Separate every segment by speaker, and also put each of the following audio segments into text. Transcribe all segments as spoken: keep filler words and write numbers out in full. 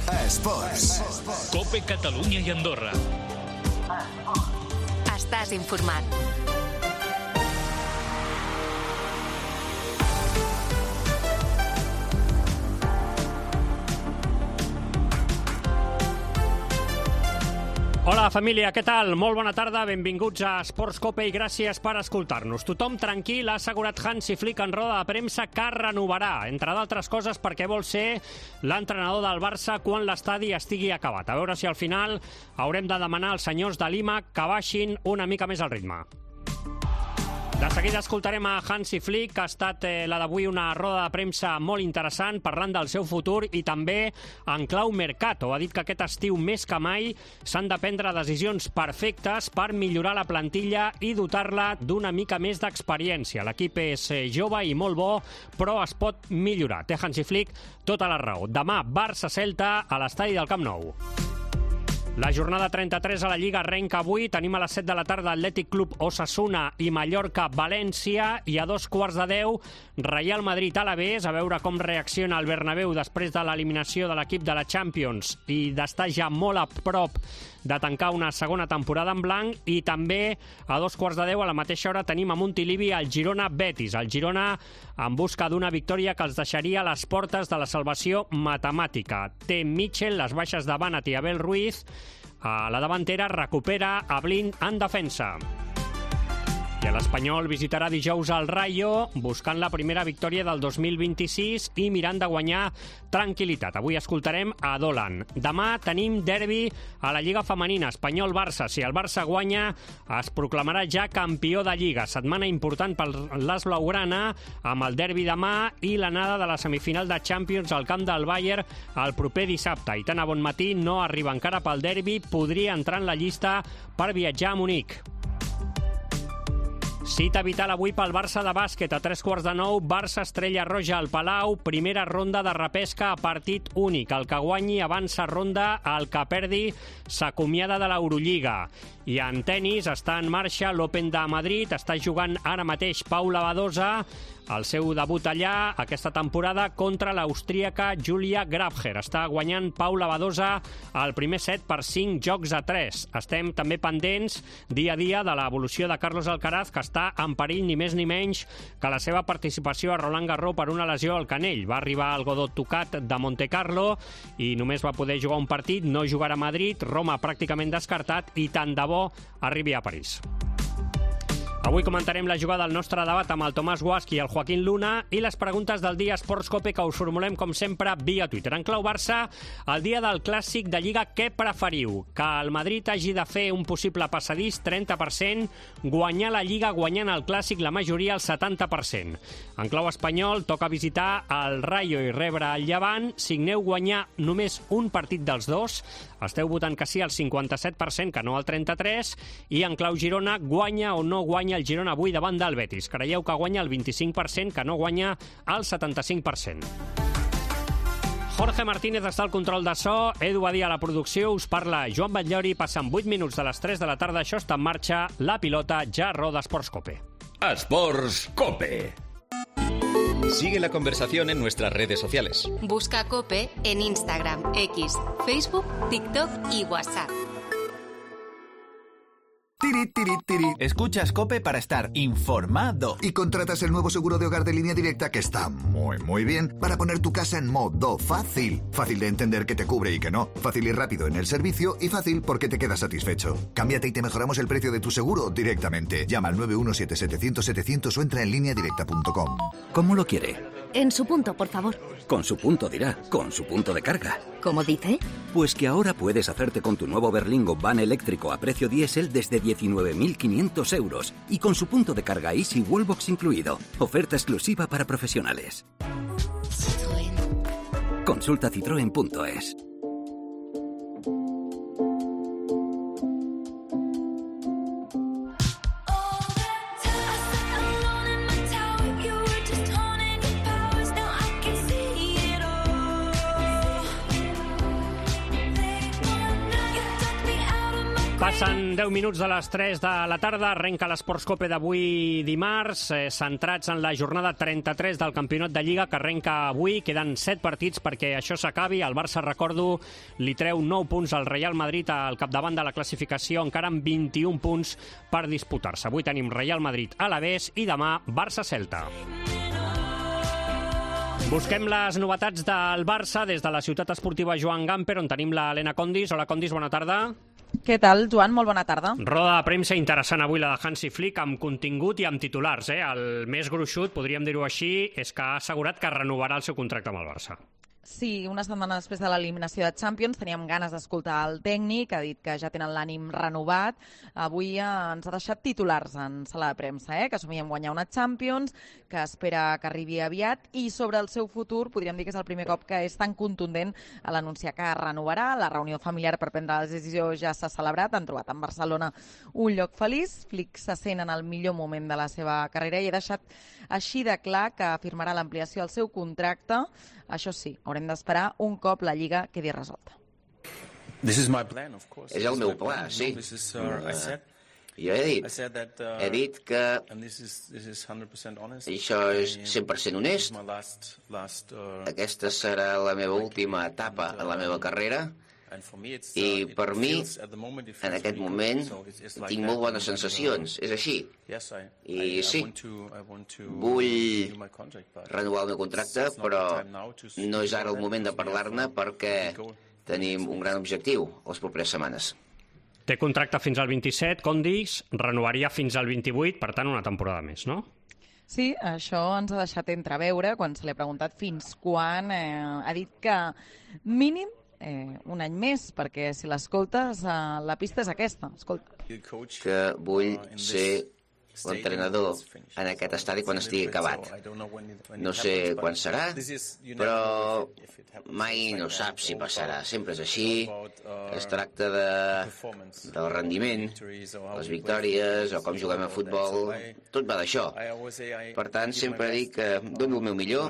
Speaker 1: Esports.
Speaker 2: COPE Catalunya i Andorra.
Speaker 3: Estàs informat.
Speaker 4: Hola família, què tal? Molt bona tarda, benvinguts a Esports COPE i gràcies per escoltar-nos. Tothom tranquil, ha assegurat Hansi Flick en roda de premsa que renovarà, entre d'altres coses perquè vol ser l'entrenador del Barça quan l'estadi estigui acabat. A veure si al final haurem de demanar als senyors de Lima que baixin una mica més el ritme. De seguida escoltarem a Hansi Flick, que ha estat eh, la d'avui una roda de premsa molt interessant, parlant del seu futur i també en clau mercato. Ha dit que aquest estiu més que mai s'han de prendre decisions perfectes per millorar la plantilla i dotar-la d'una mica més d'experiència. L'equip és eh, jove i molt bo, però es pot millorar. Té Hansi Flick tota la raó. Demà, Barça-Celta a l'estadi del Camp Nou. La jornada trenta-tres a la Lliga arrenca avui. Tenim a les set de la tarda Atlètic Club Osasuna i Mallorca-València i a dos quarts de deu Real Madrid-Alavés, a veure com reacciona el Bernabéu després de l'eliminació de l'equip de la Champions i d'estar ja molt a prop de tancar una segona temporada en blanc. I també a dos quarts de deu a la mateixa hora tenim a Montilivi el Girona-Betis. El Girona en busca d'una victòria que els deixaria a les portes de la salvació matemàtica. Té Mitchell, les baixes de Banat i Abel Ruiz. A la davantera recupera a Blind en defensa. I l'Espanyol visitarà dijous al Rayo buscant la primera victòria del dos mil vint-i-sis i mirant de guanyar tranquil·litat. Avui escoltarem a Dolan. Demà tenim derbi a la Lliga Femenina, Espanyol-Barça. Si el Barça guanya, es proclamarà ja campió de Lliga. Setmana important per l'As Blaugrana amb el derbi demà i l'anada de la semifinal de Champions al camp del Bayern el proper dissabte. Aitana Bonmatí no arriba encara pel derbi, podria entrar en la llista per viatjar a Munic. Cita vital avui pel Barça de bàsquet. A tres quarts de nou, Barça Estrella Roja al Palau. Primera ronda de repesca a partit únic. El que guanyi avança ronda, el que perdi s'acomiada de l'Eurolliga. I en tenis està en marxa l'Open de Madrid. Està jugant ara mateix Paula Badosa el seu debut allà aquesta temporada contra l'austríaca Julia Grabher. Està guanyant Paula Badosa el primer set per cinc jocs a tres. Estem també pendents dia a dia de l'evolució de Carlos Alcaraz, que està en perill ni més ni menys que la seva participació a Roland Garros per una lesió al canell. Va arribar al Godot tocat de Monte Carlo i només va poder jugar un partit, no jugarà a Madrid, Roma pràcticament descartat i tant de bo arribi a París. Avui comentarem la jugada del nostre debat amb el Tomàs Guasch i el Joaquín Luna i les preguntes del dia Esports COPE que us formulem, com sempre, via Twitter. En clau Barça, el dia del clàssic de Lliga, què preferiu? Que el Madrid hagi de fer un possible passadís, trenta per cent, guanyar la Lliga guanyant el clàssic, la majoria, el setanta per cent. En clau espanyol, toca visitar el Rayo i rebre el Llevant. Signeu guanyar només un partit dels dos. Esteu votant que sí al cinquanta-set per cent, que no al trenta-tres per cent. I en clau Girona, guanya o no guanya el Girona avui davant del Betis. Creieu que guanya el vint-i-cinc per cent, que no guanya el setanta-cinc per cent. Jorge Martínez està al control de so, Edu Badia a la producció, us parla Joan Batllori, passen vuit minuts de les tres de la tarda, això està en marxa, la pilota ja roda Esports COPE.
Speaker 5: Esports COPE. Sigue la conversación en nuestras redes sociales.
Speaker 3: Busca COPE en Instagram, X, Facebook, TikTok y WhatsApp.
Speaker 1: Tiri, tiri, tiri.
Speaker 6: Escuchas COPE para estar informado.
Speaker 1: Y contratas el nuevo seguro de hogar de Línea Directa que está muy, muy bien para poner tu casa en modo fácil. Fácil de entender que te cubre y que no. Fácil y rápido en el servicio y fácil porque te quedas satisfecho. Cámbiate y te mejoramos el precio de tu seguro directamente. Llama al nueve uno siete setecientos setecientos o entra en línea directa punto com.
Speaker 7: ¿Cómo lo quiere?
Speaker 8: En su punto, por favor.
Speaker 7: Con su punto dirá, con su punto de carga.
Speaker 8: ¿Cómo dice?
Speaker 7: Pues que ahora puedes hacerte con tu nuevo Berlingo van eléctrico a precio diésel desde diecinueve mil quinientos euros y con su punto de carga Easy Wallbox incluido. Oferta exclusiva para profesionales. Citroën. Consulta citroen punto es.
Speaker 4: Passen deu minuts de les tres de la tarda, arrenca l'Esports Cope d'avui dimarts, eh, centrats en la jornada trenta-tres del Campionat de Lliga que arrenca avui. Queden set partits perquè això s'acabi. El Barça, recordo, li treu nou punts al Real Madrid al capdavant de la classificació, encara amb vint-i-un punts per disputar-se. Avui tenim Real Madrid-Alavés i demà Barça-Celta. Busquem les novetats del Barça des de la ciutat esportiva Joan Gamper, on tenim la Helena Condis. Hola, Condis, bona tarda.
Speaker 9: Què tal, Joan? Molt bona tarda.
Speaker 4: Roda de premsa interessant avui la de Hansi Flick, amb contingut i amb titulars. Eh? El més gruixut, podríem dir-ho així, és que ha assegurat que renovarà el seu contracte amb el Barça.
Speaker 9: Sí, una setmana després de l'eliminació de Champions teníem ganes d'escoltar el tècnic, ha dit que ja tenen l'ànim renovat. Avui ens ha deixat titulars en sala de premsa, eh? que somiem guanyar una Champions, que espera que arribi aviat, i sobre el seu futur podríem dir que és el primer cop que és tan contundent a l'anunciar que renovarà. La reunió familiar per prendre la decisió ja s'ha celebrat, han trobat en Barcelona un lloc feliç. Flick se sent en el millor moment de la seva carrera i ha deixat així de clar que firmarà l'ampliació del seu contracte. Això sí, haurem d'esperar un cop la Lliga quedi resolta.
Speaker 10: És el meu pla, sí. Jo he dit, he dit que això és cent per cent honest. Aquesta serà la meva última etapa en la meva carrera. I per mi, en aquest moment, tinc molt bones sensacions. És així. I sí, vull renovar el meu contracte, però no és ara el moment de parlar-ne perquè tenim un gran objectiu les properes setmanes.
Speaker 4: Té contracte fins al vint-i-set, Condis, renovaria fins al vint-i-vuit, per tant una temporada més, no?
Speaker 9: Sí, això ens ha deixat entreveure quan se li ha preguntat fins quan. Eh, ha dit que mínim Eh, un any més, perquè si l'escoltes, eh, la pista és aquesta. Escolta.
Speaker 10: Que vull ser l'entrenador en aquest estadi quan estigui acabat. No sé quan serà, però mai no saps si passarà. Sempre és així. Es tracta de, del rendiment, les victòries o com juguem a futbol. Tot va d'això. Per tant, sempre dic que dono el meu millor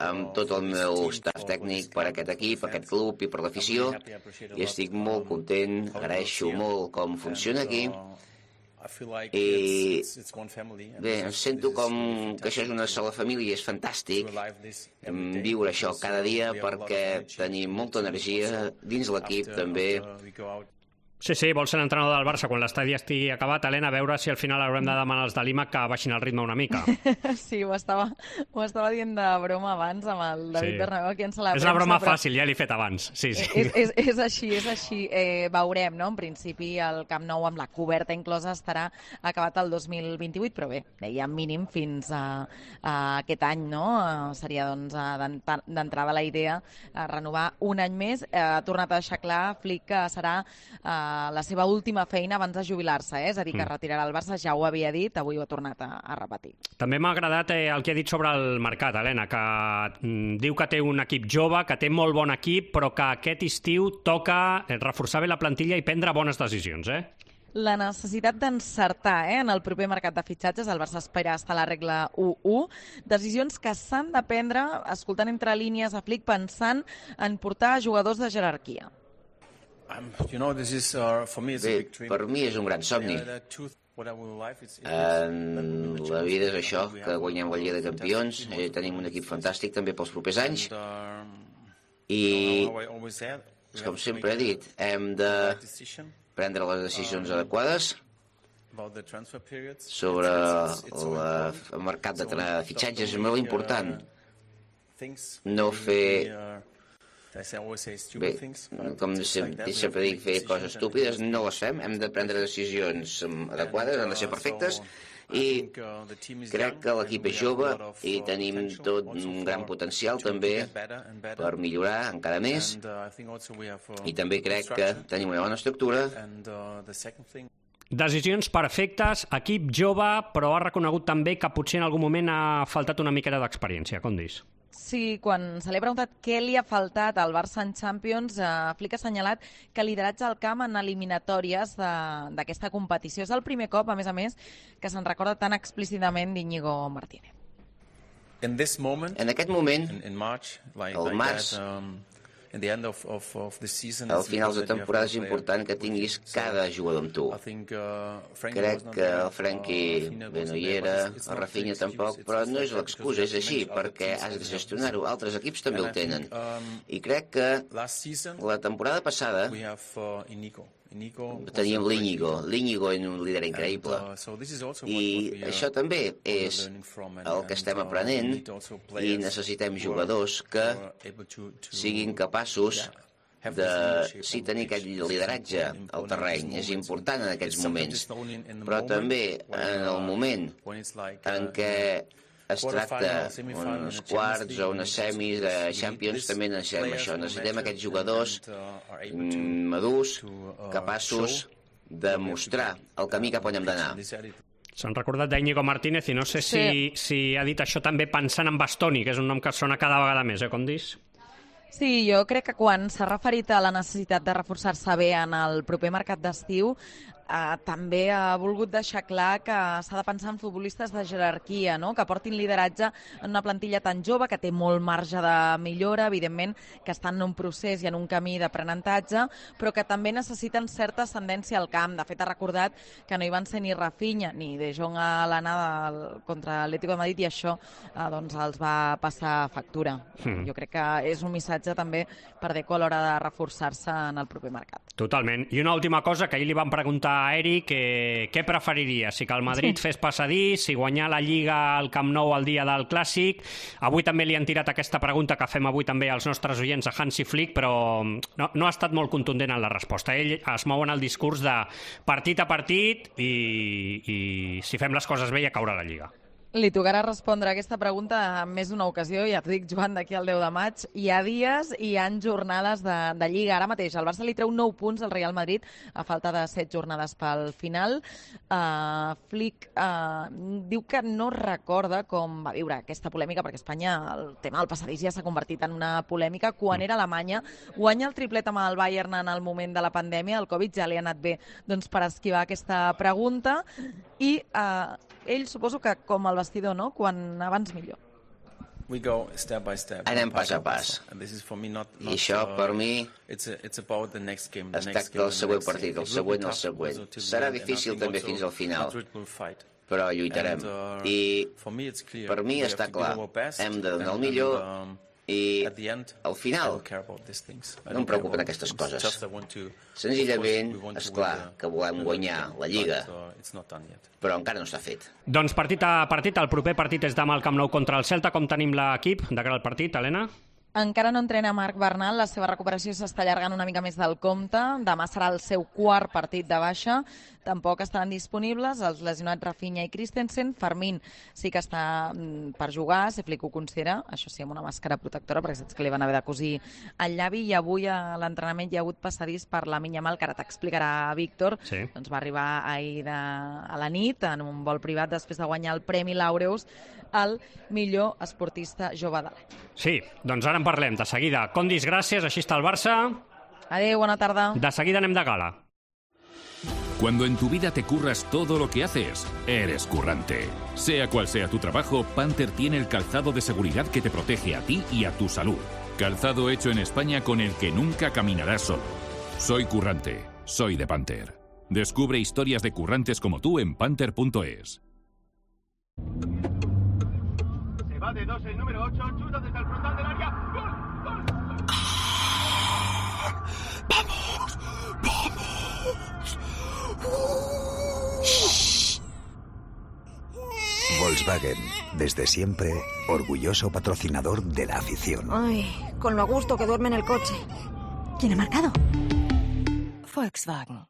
Speaker 10: amb tot el meu staff tècnic per aquest equip, per aquest club i per l'afició, i estic molt content, agraeixo molt com funciona aquí. I bé, em sento com que això és una sola família i és fantàstic viure això cada dia perquè tenim molta energia dins l'equip també.
Speaker 4: Sí, sí, vol ser l'entrenador del Barça quan l'estadi estigui acabat. Helena, a veure si al final haurem de demanar als de Lima que baixin el ritme una mica.
Speaker 9: Sí, ho estava, ho estava dient de broma abans amb el David sí. Bernabéu aquí en sala de premsa.
Speaker 4: És una broma
Speaker 9: però...
Speaker 4: fàcil, ja l'he fet abans. Sí, sí.
Speaker 9: És, és, és així, és així. Eh, veurem, no? En principi el Camp Nou amb la coberta inclosa estarà acabat el dos mil vint-i-vuit, però bé, deia mínim fins a, a aquest any, no? Seria doncs d'entrada la idea a renovar un any més. Eh, ha tornat a deixar clar Flick que serà eh, la seva última feina abans de jubilar-se, eh? És a dir, que mm. retirarà el Barça, ja ho havia dit, avui ho ha tornat a, a repetir.
Speaker 4: També m'ha agradat eh, el que ha dit sobre el mercat, Helena, que mm, diu que té un equip jove, que té molt bon equip, però que aquest estiu toca reforçar bé la plantilla i prendre bones decisions, eh?
Speaker 9: La necessitat d'encertar eh, en el proper mercat de fitxatges. El Barça espera estar a la regla u u. Decisions que s'han de prendre, escoltant entre línies a Flick, pensant en portar jugadors de jerarquia.
Speaker 10: Bé, per mi és un gran somni. En la vida és això, que guanyem la Lliga de Campions, eh, tenim un equip fantàstic també pels propers anys, i com sempre he dit, hem de prendre les decisions adequades sobre la, el mercat de fitxatges. És molt important no fer... Bé, com sempre dic, fer coses estúpides, no les fem, hem de prendre decisions adequades, han de ser perfectes, i crec que l'equip és jove i tenim tot un gran potencial també per millorar encara més, i també crec que tenim una bona estructura.
Speaker 4: Decisions perfectes, equip jove, però ha reconegut també que potser en algun moment ha faltat una miqueta d'experiència, com dius?
Speaker 9: Sí, quan se li ha preguntat què li ha faltat al Barça en Champions, eh, Flick ha assenyalat que lideratge al camp en eliminatòries d'aquesta competició. És el primer cop, a més a més, que se'n recorda tan explícitament d'Íñigo Martínez.
Speaker 10: En aquest moment, al març, Al final de temporada és important que tinguis cada jugador amb tu. Crec que el Frenkie bé no hi era, el Rafinha tampoc, però no és l'excusa, és així, perquè has de gestionar-ho. Altres equips també ho tenen. I crec que la temporada passada teníem l'Íñigo. L'Íñigo és un líder increïble. I això també és el que estem aprenent i necessitem jugadors que siguin capaços de sí tenir aquest lideratge al terreny. És important en aquests moments. Però també en el moment en què es tracta uns quarts o unes semis de Champions, també necessitem això. Necessitem aquests jugadors madurs, capaços de mostrar el camí cap on hem d'anar.
Speaker 4: S'han recordat d'Íñigo Martínez i no sé si, sí. si ha dit això també pensant en Bastoni, que és un nom que sona cada vegada més, eh, Condis?
Speaker 9: Sí, jo crec que quan s'ha referit a la necessitat de reforçar-se bé en el proper mercat d'estiu, eh, també ha volgut deixar clar que s'ha de pensar en futbolistes de jerarquia, no? Que portin lideratge en una plantilla tan jove, que té molt marge de millora, evidentment que estan en un procés i en un camí d'aprenentatge, però que també necessiten certa ascendència al camp. De fet, ha recordat que no hi van ser ni Rafinha ni De Jong a l'anada contra l'Atlético de Madrid i això eh, doncs els va passar factura. Mm. Jo crec que és un missatge també per Deco a l'hora de reforçar-se en el proper mercat.
Speaker 4: Totalment. I una última cosa, que ahir li van preguntar a Eric eh, què preferiria, si que el Madrid sí. fes passadís, si guanyar la Lliga al Camp Nou el dia del Clàssic. Avui també li han tirat aquesta pregunta que fem avui també als nostres oients a Hansi Flick, però no, no ha estat molt contundent en la resposta. Ell es mou en el discurs de partit a partit i, i si fem les coses bé ja caurà la Lliga.
Speaker 9: Li tocarà respondre a aquesta pregunta en més d'una ocasió, ja t'ho dic, Joan, d'aquí al deu de maig. Hi ha dies i hi ha jornades de, de Lliga. Ara mateix el Barça li treu nou punts al Real Madrid a falta de set jornades pel final. Uh, Flick uh, diu que no recorda com va viure aquesta polèmica, perquè a Espanya el tema del passadís ja s'ha convertit en una polèmica. Quan era a Alemanya, guanya el triplet amb el Bayern en el moment de la pandèmia, el Covid ja li ha anat bé doncs, per esquivar aquesta pregunta, i uh, ell suposo que com el vestidor, no? Quan abans millor.
Speaker 10: Anem pas a pas. I això, per mi, es tracta del següent partit, el següent el següent. Serà difícil també fins al final, però lluitarem. I per mi està clar, hem de donar el millor i al final no em preocupen aquestes coses. Senzillament, és clar que volem guanyar la Lliga, però encara no s'ha fet.
Speaker 4: Doncs partit a partit, el proper partit és demà al Camp Nou contra el Celta. Com tenim l'equip de cara al partit, Helena?
Speaker 9: Encara no entrena Marc Bernal, la seva recuperació s'està allargant una mica més del compte. Demà serà el seu quart partit de baixa. Tampoc estaran disponibles els lesionats Rafinha i Christensen. Fermín sí que està per jugar, si Flick ho considera, això sí, amb una màscara protectora, perquè saps que li van haver de cosir el llavi, i avui a l'entrenament hi ha hagut passadís per la Yamal, que ara t'explicarà Víctor. Sí. Doncs va arribar ahir de, a la nit en un vol privat després de guanyar el Premi Laureus al millor esportista jove de l'any.
Speaker 4: Sí, doncs ara en parlem de seguida. Condis, gràcies, així està el Barça.
Speaker 9: Adéu, bona tarda.
Speaker 4: De seguida anem de gala.
Speaker 11: Cuando en tu vida te curras todo lo que haces, eres currante. Sea cual sea tu trabajo, Panther tiene el calzado de seguridad que te protege a ti y a tu salud. Calzado hecho en España con el que nunca caminarás solo. Soy currante, soy de Panther. Descubre historias de currantes como tú en panther punto es.
Speaker 12: Se va de dos el número ocho, chuta desde el frontal del área. ¡Gol! ¡Gol!
Speaker 13: ¡Ah! ¡Vamos! ¡Vamos!
Speaker 14: Volkswagen, desde siempre, orgulloso patrocinador de la afición.
Speaker 8: Ay, con lo a gusto que duerme en el coche. ¿Quién ha marcado? Volkswagen.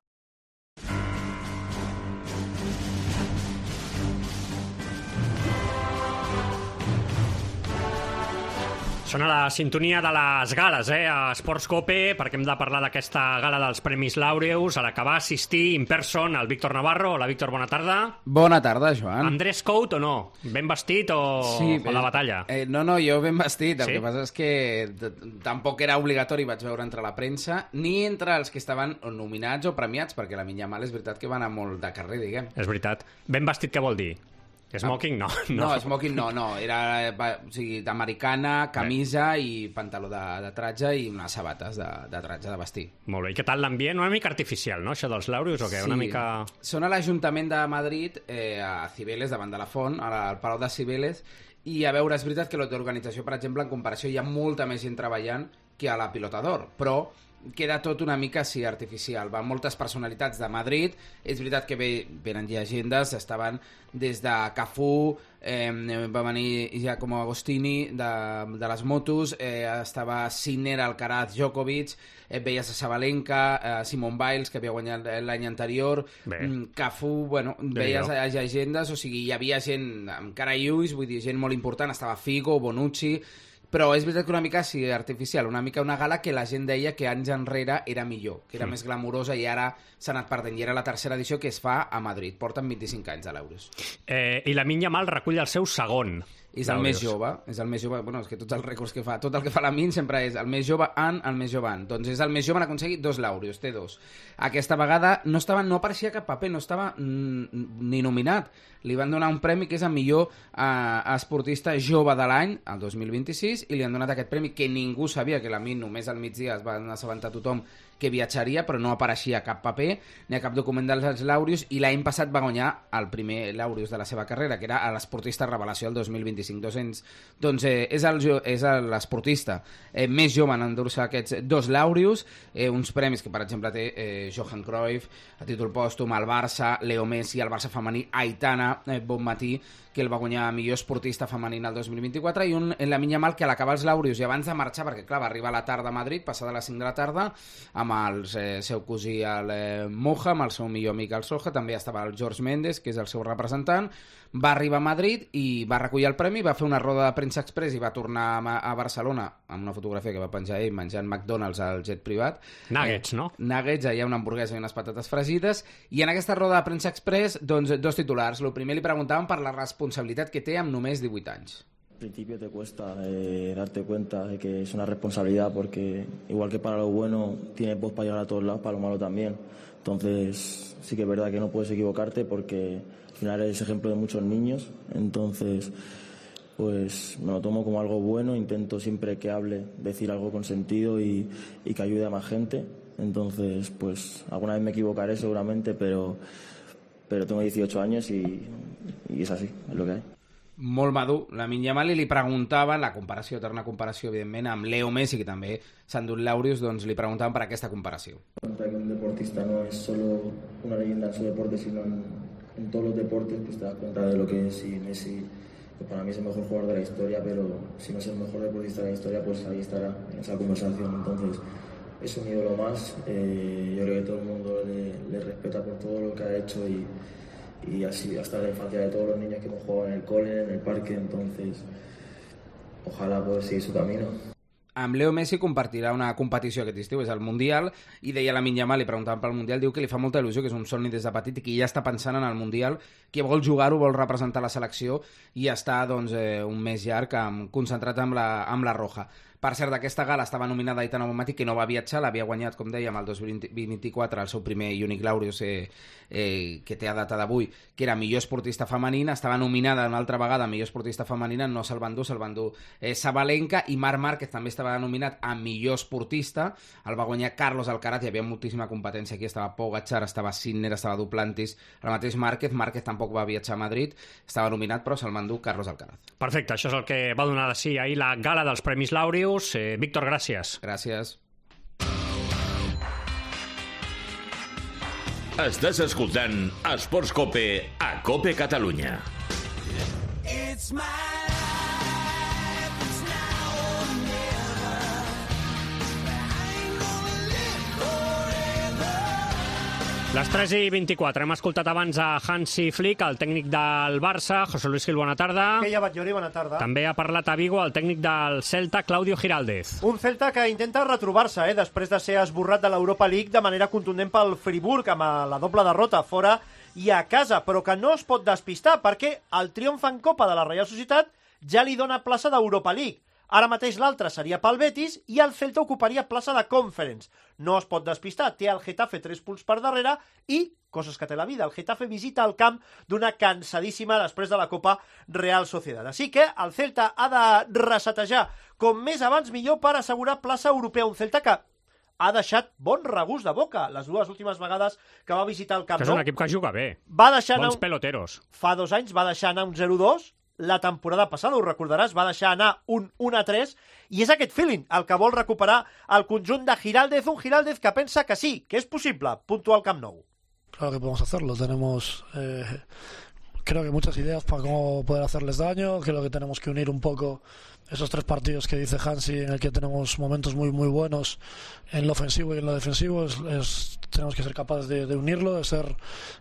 Speaker 4: Sona la sintonia de les gales, eh, a Sports Cope, perquè hem de parlar d'aquesta gala dels Premis Laureus, a la que va assistir in person el Víctor Navarro. Hola, Víctor, bona tarda.
Speaker 15: Bona tarda, Joan.
Speaker 4: Amb dress code o no? Ben vestit o,
Speaker 15: sí,
Speaker 4: o la batalla?
Speaker 15: Eh, no, no, jo ben vestit. El
Speaker 4: sí?
Speaker 15: que passa és que tampoc era obligatori, vaig veure entre la premsa, ni entre els que estaven nominats o premiats, perquè la Yamal és veritat que va anar molt de carrer, diguem.
Speaker 4: És veritat. Ben vestit què vol dir? Smoking no.
Speaker 15: No, no smoking no, no. Era o sigui, d'americana, camisa Bé. i pantaló de, de tratge i unes sabates de, de tratge de vestir.
Speaker 4: Molt bé. I què tal l'ambient? Una mica artificial, no, això dels Laureus, o què?
Speaker 15: Sí.
Speaker 4: Una mica...
Speaker 15: Són a l'Ajuntament de Madrid, eh, a Cibeles, davant de la Font, al Palau de Cibeles, i a veure, és veritat que l'organització, per exemple, en comparació, hi ha molta més gent treballant que a la Pilota d'Or, però queda tot una mica així artificial. Van moltes personalitats de Madrid, és veritat que ve, venen llegendes, estaven des de Cafú, eh, va venir Giacomo Agostini de, de les motos, eh, estava Sinner, Alcaraz, Djokovic, eh, veies a Sabalenka, eh, Simone Biles, que havia guanyat l'any anterior, Bé. Cafú, bueno, veies a llegendes, o sigui, hi havia gent amb cara i ulls, vull dir, gent molt important, estava Figo, Bonucci, però és veritat que una mica sí, artificial, una mica una gala que la gent deia que anys enrere era millor, que era mm. més glamurosa i ara s'ha anat perdent. I era la tercera edició que es fa a Madrid. Porten vint-i-cinc anys a l'Euros.
Speaker 4: Eh, I Lamine Yamal recull el seu segon.
Speaker 15: És el més jove, és el més jove, bueno, és que tots els rècords que fa, tot el que fa Lamine sempre és el més jove en, el més jove en. Doncs és el més jove, han aconseguit dos Laureus, té dos. Aquesta vegada no estava, no apareixia cap paper, no estava mm, ni nominat. Li van donar un premi que és el millor eh, esportista jove de l'any, el dos mil vint-i-sis, i li han donat aquest premi que ningú sabia, que Lamine només al migdia es va assabentar tothom que viatjaria, però no apareixia cap paper ni a cap document dels Laureus, i l'any passat va guanyar el primer Laureus de la seva carrera, que era l'esportista revelació el dos mil vint-i-cinc. dos-cents. Doncs eh, és l'esportista eh, més jove en endur-se aquests dos Laureus, eh, uns premis que, per exemple, té eh, Johan Cruyff, a títol pòstum, el Barça, Leo Messi, el Barça femení, Aitana eh, Bonmatí, que el va guanyar millor esportista femenina el dos mil vint-i-quatre, i un en Lamine Yamal que a l'acabar els Laureus i abans de marxar, perquè clar, va arribar a la tarda a Madrid, passada a les cinc de la tarda, amb el eh, seu cosí el eh, Moja, amb el seu millor amic el Soja, també estava el George Mendes, que és el seu representant, va arribar a Madrid i va recollir el premi, va fer una roda de premsa express i va tornar a, a Barcelona amb una fotografia que va penjar ell menjant McDonald's al jet privat.
Speaker 4: Nuggets, eh, no?
Speaker 15: Nuggets, allà una hamburguesa i unes patates fregides, i en aquesta roda de premsa express, doncs, dos titulars. El primer li preguntaven per la responsabilitat que té amb només divuit anys.
Speaker 16: Al principio te cuesta eh, darte cuenta de que es una responsabilidad, porque igual que para lo bueno tienes voz para llegar a todos lados, para lo malo también. Entonces sí que es verdad que no puedes equivocarte, porque al final eres ejemplo de muchos niños. Entonces pues me lo tomo como algo bueno, intento siempre que hable decir algo con sentido y, y que ayude a más gente. Entonces pues alguna vez me equivocaré seguramente, pero, pero tengo dieciocho años y, y es así, es lo que hay.
Speaker 15: Molt madur, Lamine Yamal, i li preguntaven, la comparació, eterna comparació, evidentment, amb Leo Messi, que també s'han dut Laureus, doncs li preguntaven per aquesta comparació.
Speaker 16: Que un deportista no es solo una leyenda en su deporte, sino en, en todos los deportes, pues te das cuenta de lo que es. Y Messi, pues para mí es el mejor jugador de la historia, pero si no es el mejor deportista de la historia, pues ahí estará en esa conversación. Entonces es un ídolo más, eh, yo creo que todo el mundo le, le respeta por todo lo que ha hecho, y y así hasta la infancia de todos los niños que hemos jugado en el cole, en el parque. Entonces ojalá poder seguir su camino.
Speaker 15: Amb Leo Messi compartirà una competició aquest estiu, és el Mundial, i deia Lamine Yamal, li preguntaven pel Mundial, diu que li fa molta il·lusió, que és un somni des de petit i que ja està pensant en el Mundial, que vol jugar-ho, vol representar la selecció, i està doncs, eh, un mes llarg amb, concentrat amb la, amb la Roja. Per cert, d'aquesta gala estava nominada Aitana Bonmatí, que no va viatjar, l'havia guanyat, com dèiem, el dos mil vint-i-quatre, el seu primer i únic Laureus eh, eh, que té a data d'avui, que era millor esportista femenina, estava nominada una altra vegada millor esportista femenina, no se'l van dur, se'l van dur eh, Sabalenka, i Marc Márquez també estava nominat a millor esportista, el va guanyar Carlos Alcaraz, hi havia moltíssima competència aquí, estava Pogačar, estava Sinner, estava Duplantis, el mateix Márquez, Márquez tampoc va viatjar a Madrid, estava nominat, però se'l van dur Carlos Alcaraz.
Speaker 4: Perfecte, això és el que va donar de sí ahir la gala dels Premis Laureus. Eh, Víctor, gràcies.
Speaker 15: Gràcies.
Speaker 11: Estàs escoltant Esports Cope a Cope Catalunya.
Speaker 13: It's my
Speaker 4: Les tres i vint-i-quatre. Hem escoltat abans a Hansi Flick, el tècnic del Barça. José Luis Gil, bona tarda.
Speaker 17: Que ja vaig Llori, bona tarda.
Speaker 4: També ha parlat a Vigo el tècnic del Celta, Claudio Giraldez.
Speaker 17: Un Celta que intenta retrobar-se, eh, després de ser esborrat de l'Europa League de manera contundent pel Friburg, amb la doble derrota fora i a casa, però que no es pot despistar, perquè el triomf en Copa de la Reial Societat ja li dona plaça d'Europa League. Ara mateix l'altre seria pel Betis i el Celta ocuparia plaça de Conference. No es pot despistar, té el Getafe tres punts per darrere i, coses que té la vida, el Getafe visita el camp d'una cansadíssima després de la Copa Real Sociedad. Així que el Celta ha de resetejar com més abans millor per assegurar plaça europea. Un Celta que ha deixat bon regust de boca les dues últimes vegades que va visitar el Camp Nou.
Speaker 4: Que és un equip que juga bé.
Speaker 17: Va deixar
Speaker 4: Bons
Speaker 17: anar...
Speaker 4: peloteros.
Speaker 17: Fa dos anys va deixar anar un zero dos. La temporada passada, ho recordaràs, va deixar anar un un a tres, i és aquest feeling el que vol recuperar el conjunt de Giraldez, un Giraldez que pensa que sí, que és possible puntuar al Camp Nou.
Speaker 18: Claro que podemos hacerlo, tenemos eh, creo que muchas ideas para cómo poder hacerles daño, creo que tenemos que unir un poco esos tres partidos que dice Hansi, en el que tenemos momentos muy muy buenos en lo ofensivo y en lo defensivo, es, es, tenemos que ser capaces de, de unirlo, de ser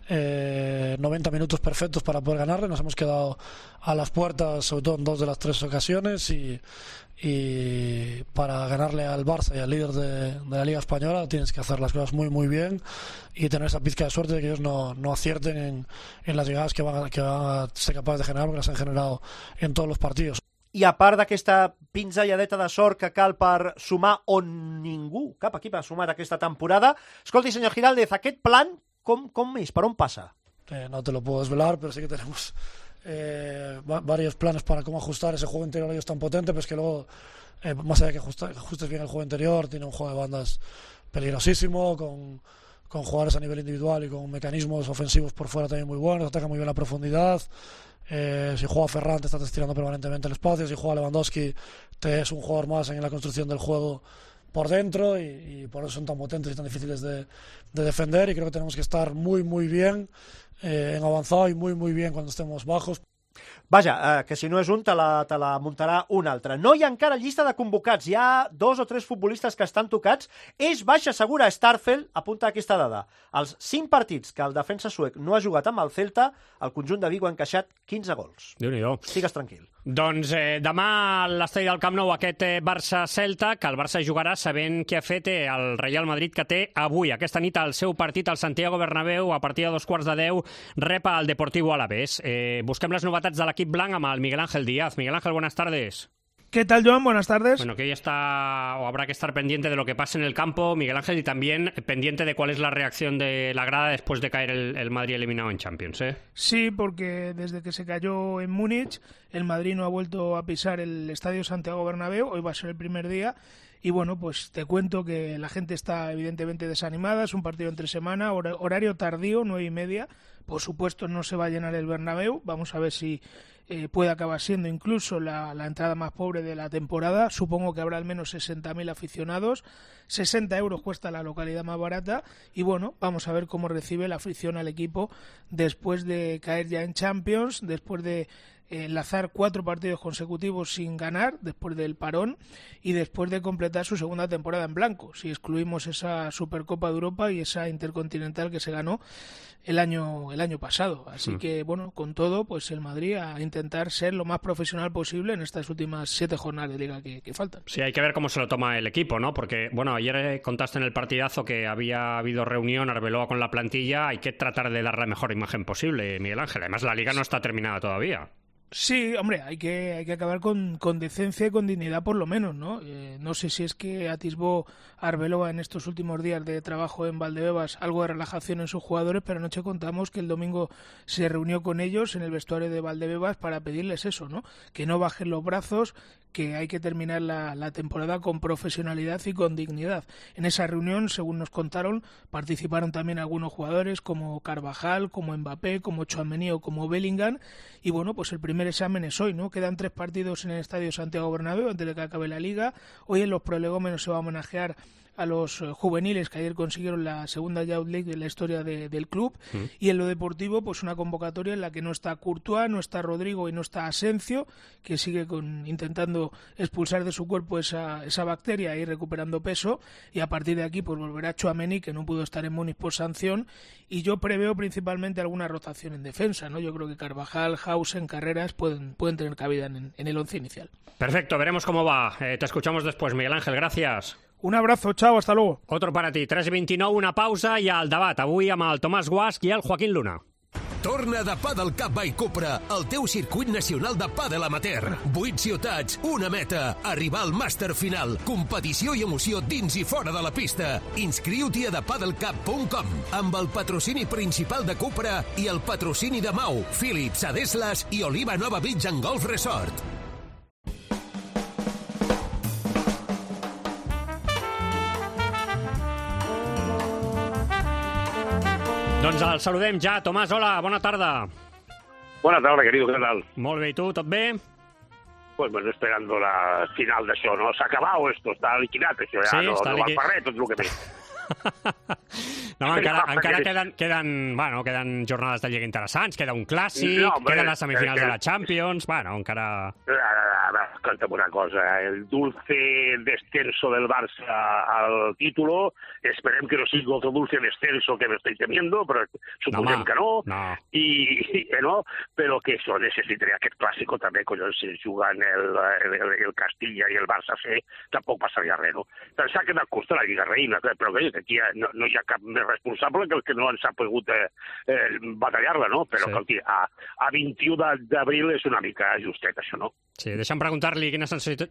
Speaker 18: eh, noventa minutos perfectos para poder ganarle. Nos hemos quedado a las puertas, sobre todo en dos de las tres ocasiones, y, y para ganarle al Barça y al líder de, de la Liga Española tienes que hacer las cosas muy muy bien y tener esa pizca de suerte de que ellos no, no acierten en, en las llegadas que van, a, que van a ser capaces de generar, porque las han generado en todos los partidos.
Speaker 17: I a part d'aquesta pinzelladeta de sort que cal per sumar on ningú, cap equip ha sumat aquesta temporada, escolti, senyor Giraldez, aquest plan com, com és? Per on passa?
Speaker 18: Eh, no te lo puedo desvelar, pero sí que tenemos eh, varios planes para cómo ajustar ese juego interior. Ellos tan potente, pero es que luego, eh, más allá de que, ajusta, que ajustes bien el juego interior, tiene un juego de bandas peligrosísimo, con, con jugadores a nivel individual y con mecanismos ofensivos por fuera también muy buenos, ataca muy bien la profundidad. Eh, si juega Ferran te estás estirando permanentemente el espacio, si juega Lewandowski te es un jugador más en la construcción del juego por dentro, y, y por eso son tan potentes y tan difíciles de, de defender, y creo que tenemos que estar muy muy bien eh, en avanzado y muy muy bien cuando estemos bajos.
Speaker 17: Vaja, eh, que si no és un, te la, te la muntarà un altre. No hi ha encara llista de convocats. Hi ha dos o tres futbolistes que estan tocats. És baixa segura. Starfelt apunta aquesta dada. Els cinc partits que el defensa suec no ha jugat amb el Celta, el conjunt de Vigo ha encaixat quinze gols.
Speaker 4: Déu-n'hi-do.
Speaker 17: Estigues tranquil.
Speaker 4: Doncs eh, demà a l'estadi del Camp Nou aquest eh, Barça-Celta, que el Barça jugarà sabent què ha fet eh, el Real Madrid, que té avui, aquesta nit, el seu partit al Santiago Bernabéu, a partir de dos quarts de deu, rep al Deportivo Alavés. Eh, busquem les novetats de l'equip blanc amb el Miguel Ángel Díaz. Miguel Ángel, buenas tardes.
Speaker 19: ¿Qué tal, Joan? Buenas tardes.
Speaker 4: Bueno, que hoy está, o habrá que estar pendiente de lo que pase en el campo, Miguel Ángel, y también pendiente de cuál es la reacción de la grada después de caer el, el Madrid eliminado en Champions, ¿eh?
Speaker 19: Sí, porque desde que se cayó en Múnich, el Madrid no ha vuelto a pisar el Estadio Santiago Bernabéu. Hoy va a ser el primer día. Y bueno, pues te cuento que la gente está evidentemente desanimada. Es un partido entre semana, hor- horario tardío, nueve y media. Por supuesto no se va a llenar el Bernabéu. Vamos a ver si eh, puede acabar siendo incluso la, la entrada más pobre de la temporada. Supongo que habrá al menos sesenta mil aficionados. sesenta euros cuesta la localidad más barata. Y bueno, vamos a ver cómo recibe la afición al equipo después de caer ya en Champions, después de enlazar cuatro partidos consecutivos sin ganar después del parón y después de completar su segunda temporada en blanco, si excluimos esa Supercopa de Europa y esa Intercontinental que se ganó el año el año pasado. Así mm. que, bueno, con todo, pues el Madrid a intentar ser lo más profesional posible en estas últimas siete jornadas de Liga que, que faltan.
Speaker 4: Sí, hay que ver cómo se lo toma el equipo, ¿no? Porque, bueno, ayer contaste en el partidazo que había habido reunión Arbeloa con la plantilla. Hay que tratar de dar la mejor imagen posible, Miguel Ángel. Además, la Liga no está terminada todavía.
Speaker 19: Sí, hombre, hay que hay que acabar con, con decencia y con dignidad por lo menos, ¿no? Eh, no sé si es que atisbó Arbeloa en estos últimos días de trabajo en Valdebebas algo de relajación en sus jugadores, pero anoche contamos que el domingo se reunió con ellos en el vestuario de Valdebebas para pedirles eso, ¿no? Que no bajen los brazos, que hay que terminar la, la temporada con profesionalidad y con dignidad. En esa reunión, según nos contaron, participaron también algunos jugadores como Carvajal, como Mbappé, como Tchouaméni o como Bellingham, y bueno, pues el primer examen es hoy, ¿no? Quedan tres partidos en el Estadio Santiago Bernabéu antes de que acabe la Liga. Hoy en los prolegómenos se va a homenajear a los juveniles que ayer consiguieron la segunda Youth League de la historia de, del club, mm. y en lo deportivo pues una convocatoria en la que no está Courtois, no está Rodrigo y no está Asencio, que sigue con, intentando expulsar de su cuerpo esa, esa bacteria y recuperando peso, y a partir de aquí pues volverá Tchouaméni, que no pudo estar en Múnich por sanción, y yo preveo principalmente alguna rotación en defensa, ¿no? Yo creo que Carvajal, Hausen, Carreras pueden, pueden tener cabida en, en el once inicial.
Speaker 4: Perfecto, veremos cómo va. Eh, te escuchamos después, Miguel Ángel, gracias.
Speaker 19: Un abrazo, chao, hasta luego.
Speaker 4: Otro para ti, tres i vint-i-nou, una pausa i el debat. Avui amb el Tomàs Guasch i el Joaquín Luna.
Speaker 20: Torna de Padel Cup by Cupra, el teu circuit nacional de pàdel amateur. Vuit ciutats, una meta, arribar al màster final, competició i emoció dins i fora de la pista. Inscriu-t'hi a the padel cup punt com amb el patrocini principal de Cupra i el patrocini de Mau, Philips, Adeslas i Oliva Nova Beach and Golf Resort.
Speaker 4: Doncs el saludem ja. Tomàs, hola, bona tarda.
Speaker 21: Buena tarde, querido, ¿qué tal?
Speaker 4: Molt bé, i tu, tot bé?
Speaker 21: Pues bueno, esperando la final d'això, no? S'ha acabat esto, està liquidat, això, ja
Speaker 4: Sí,
Speaker 21: no,
Speaker 4: està
Speaker 21: no val
Speaker 4: liqui-
Speaker 21: per res, tot el que té.
Speaker 4: No, encara,
Speaker 21: No,
Speaker 4: encara
Speaker 21: perquè-
Speaker 4: queden, queden, bueno, queden jornades de Lliga interessants, queda un clàssic,
Speaker 21: No, hombre,
Speaker 4: queden les semifinals
Speaker 21: eh,
Speaker 4: de la Champions, bueno, encara...
Speaker 21: A ver, escolta'm una cosa, el dulce descenso del Barça al título, esperem que no sigui otro dulce descenso que me estoy temiendo, però suposem
Speaker 4: home,
Speaker 21: que no,
Speaker 4: no.
Speaker 21: i, i no, però que això necessitaria aquest clàssico també, collons, si juguen el, el, el Castilla i el Barça C, tampoc passaria res, no? Però s'ha quedat curt la Lliga Reina, però que aquí no, no hi ha cap més responsable que el que no ens ha pogut eh, eh, batallar-la, no? Però
Speaker 4: Sí.
Speaker 21: sí. a, a vint-i-u d'abril és una mica justet, això, no?
Speaker 4: Sí, deixa'm preguntar-li quina sensació,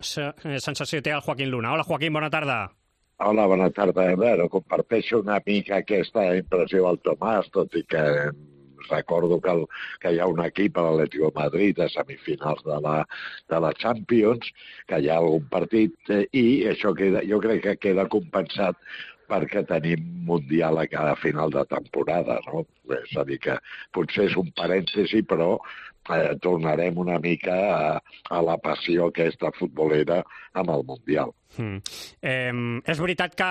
Speaker 4: sensació té el Joaquín Luna. Hola, Joaquín, bona tarda.
Speaker 22: Hola, bona tarda. Bueno, comparteixo una mica aquesta impressió del Tomàs, tot i que recordo que, el, que hi ha un equip a l'Atlético de Madrid a semifinals de la, de la Champions, que hi ha algun partit, eh, i això queda, jo crec que queda compensat perquè tenim Mundial a cada final de temporada, no? És a dir, que potser és un parèntesi, però eh, tornarem una mica a, a la passió aquesta futbolera amb el Mundial.
Speaker 4: Mm. Eh, és veritat que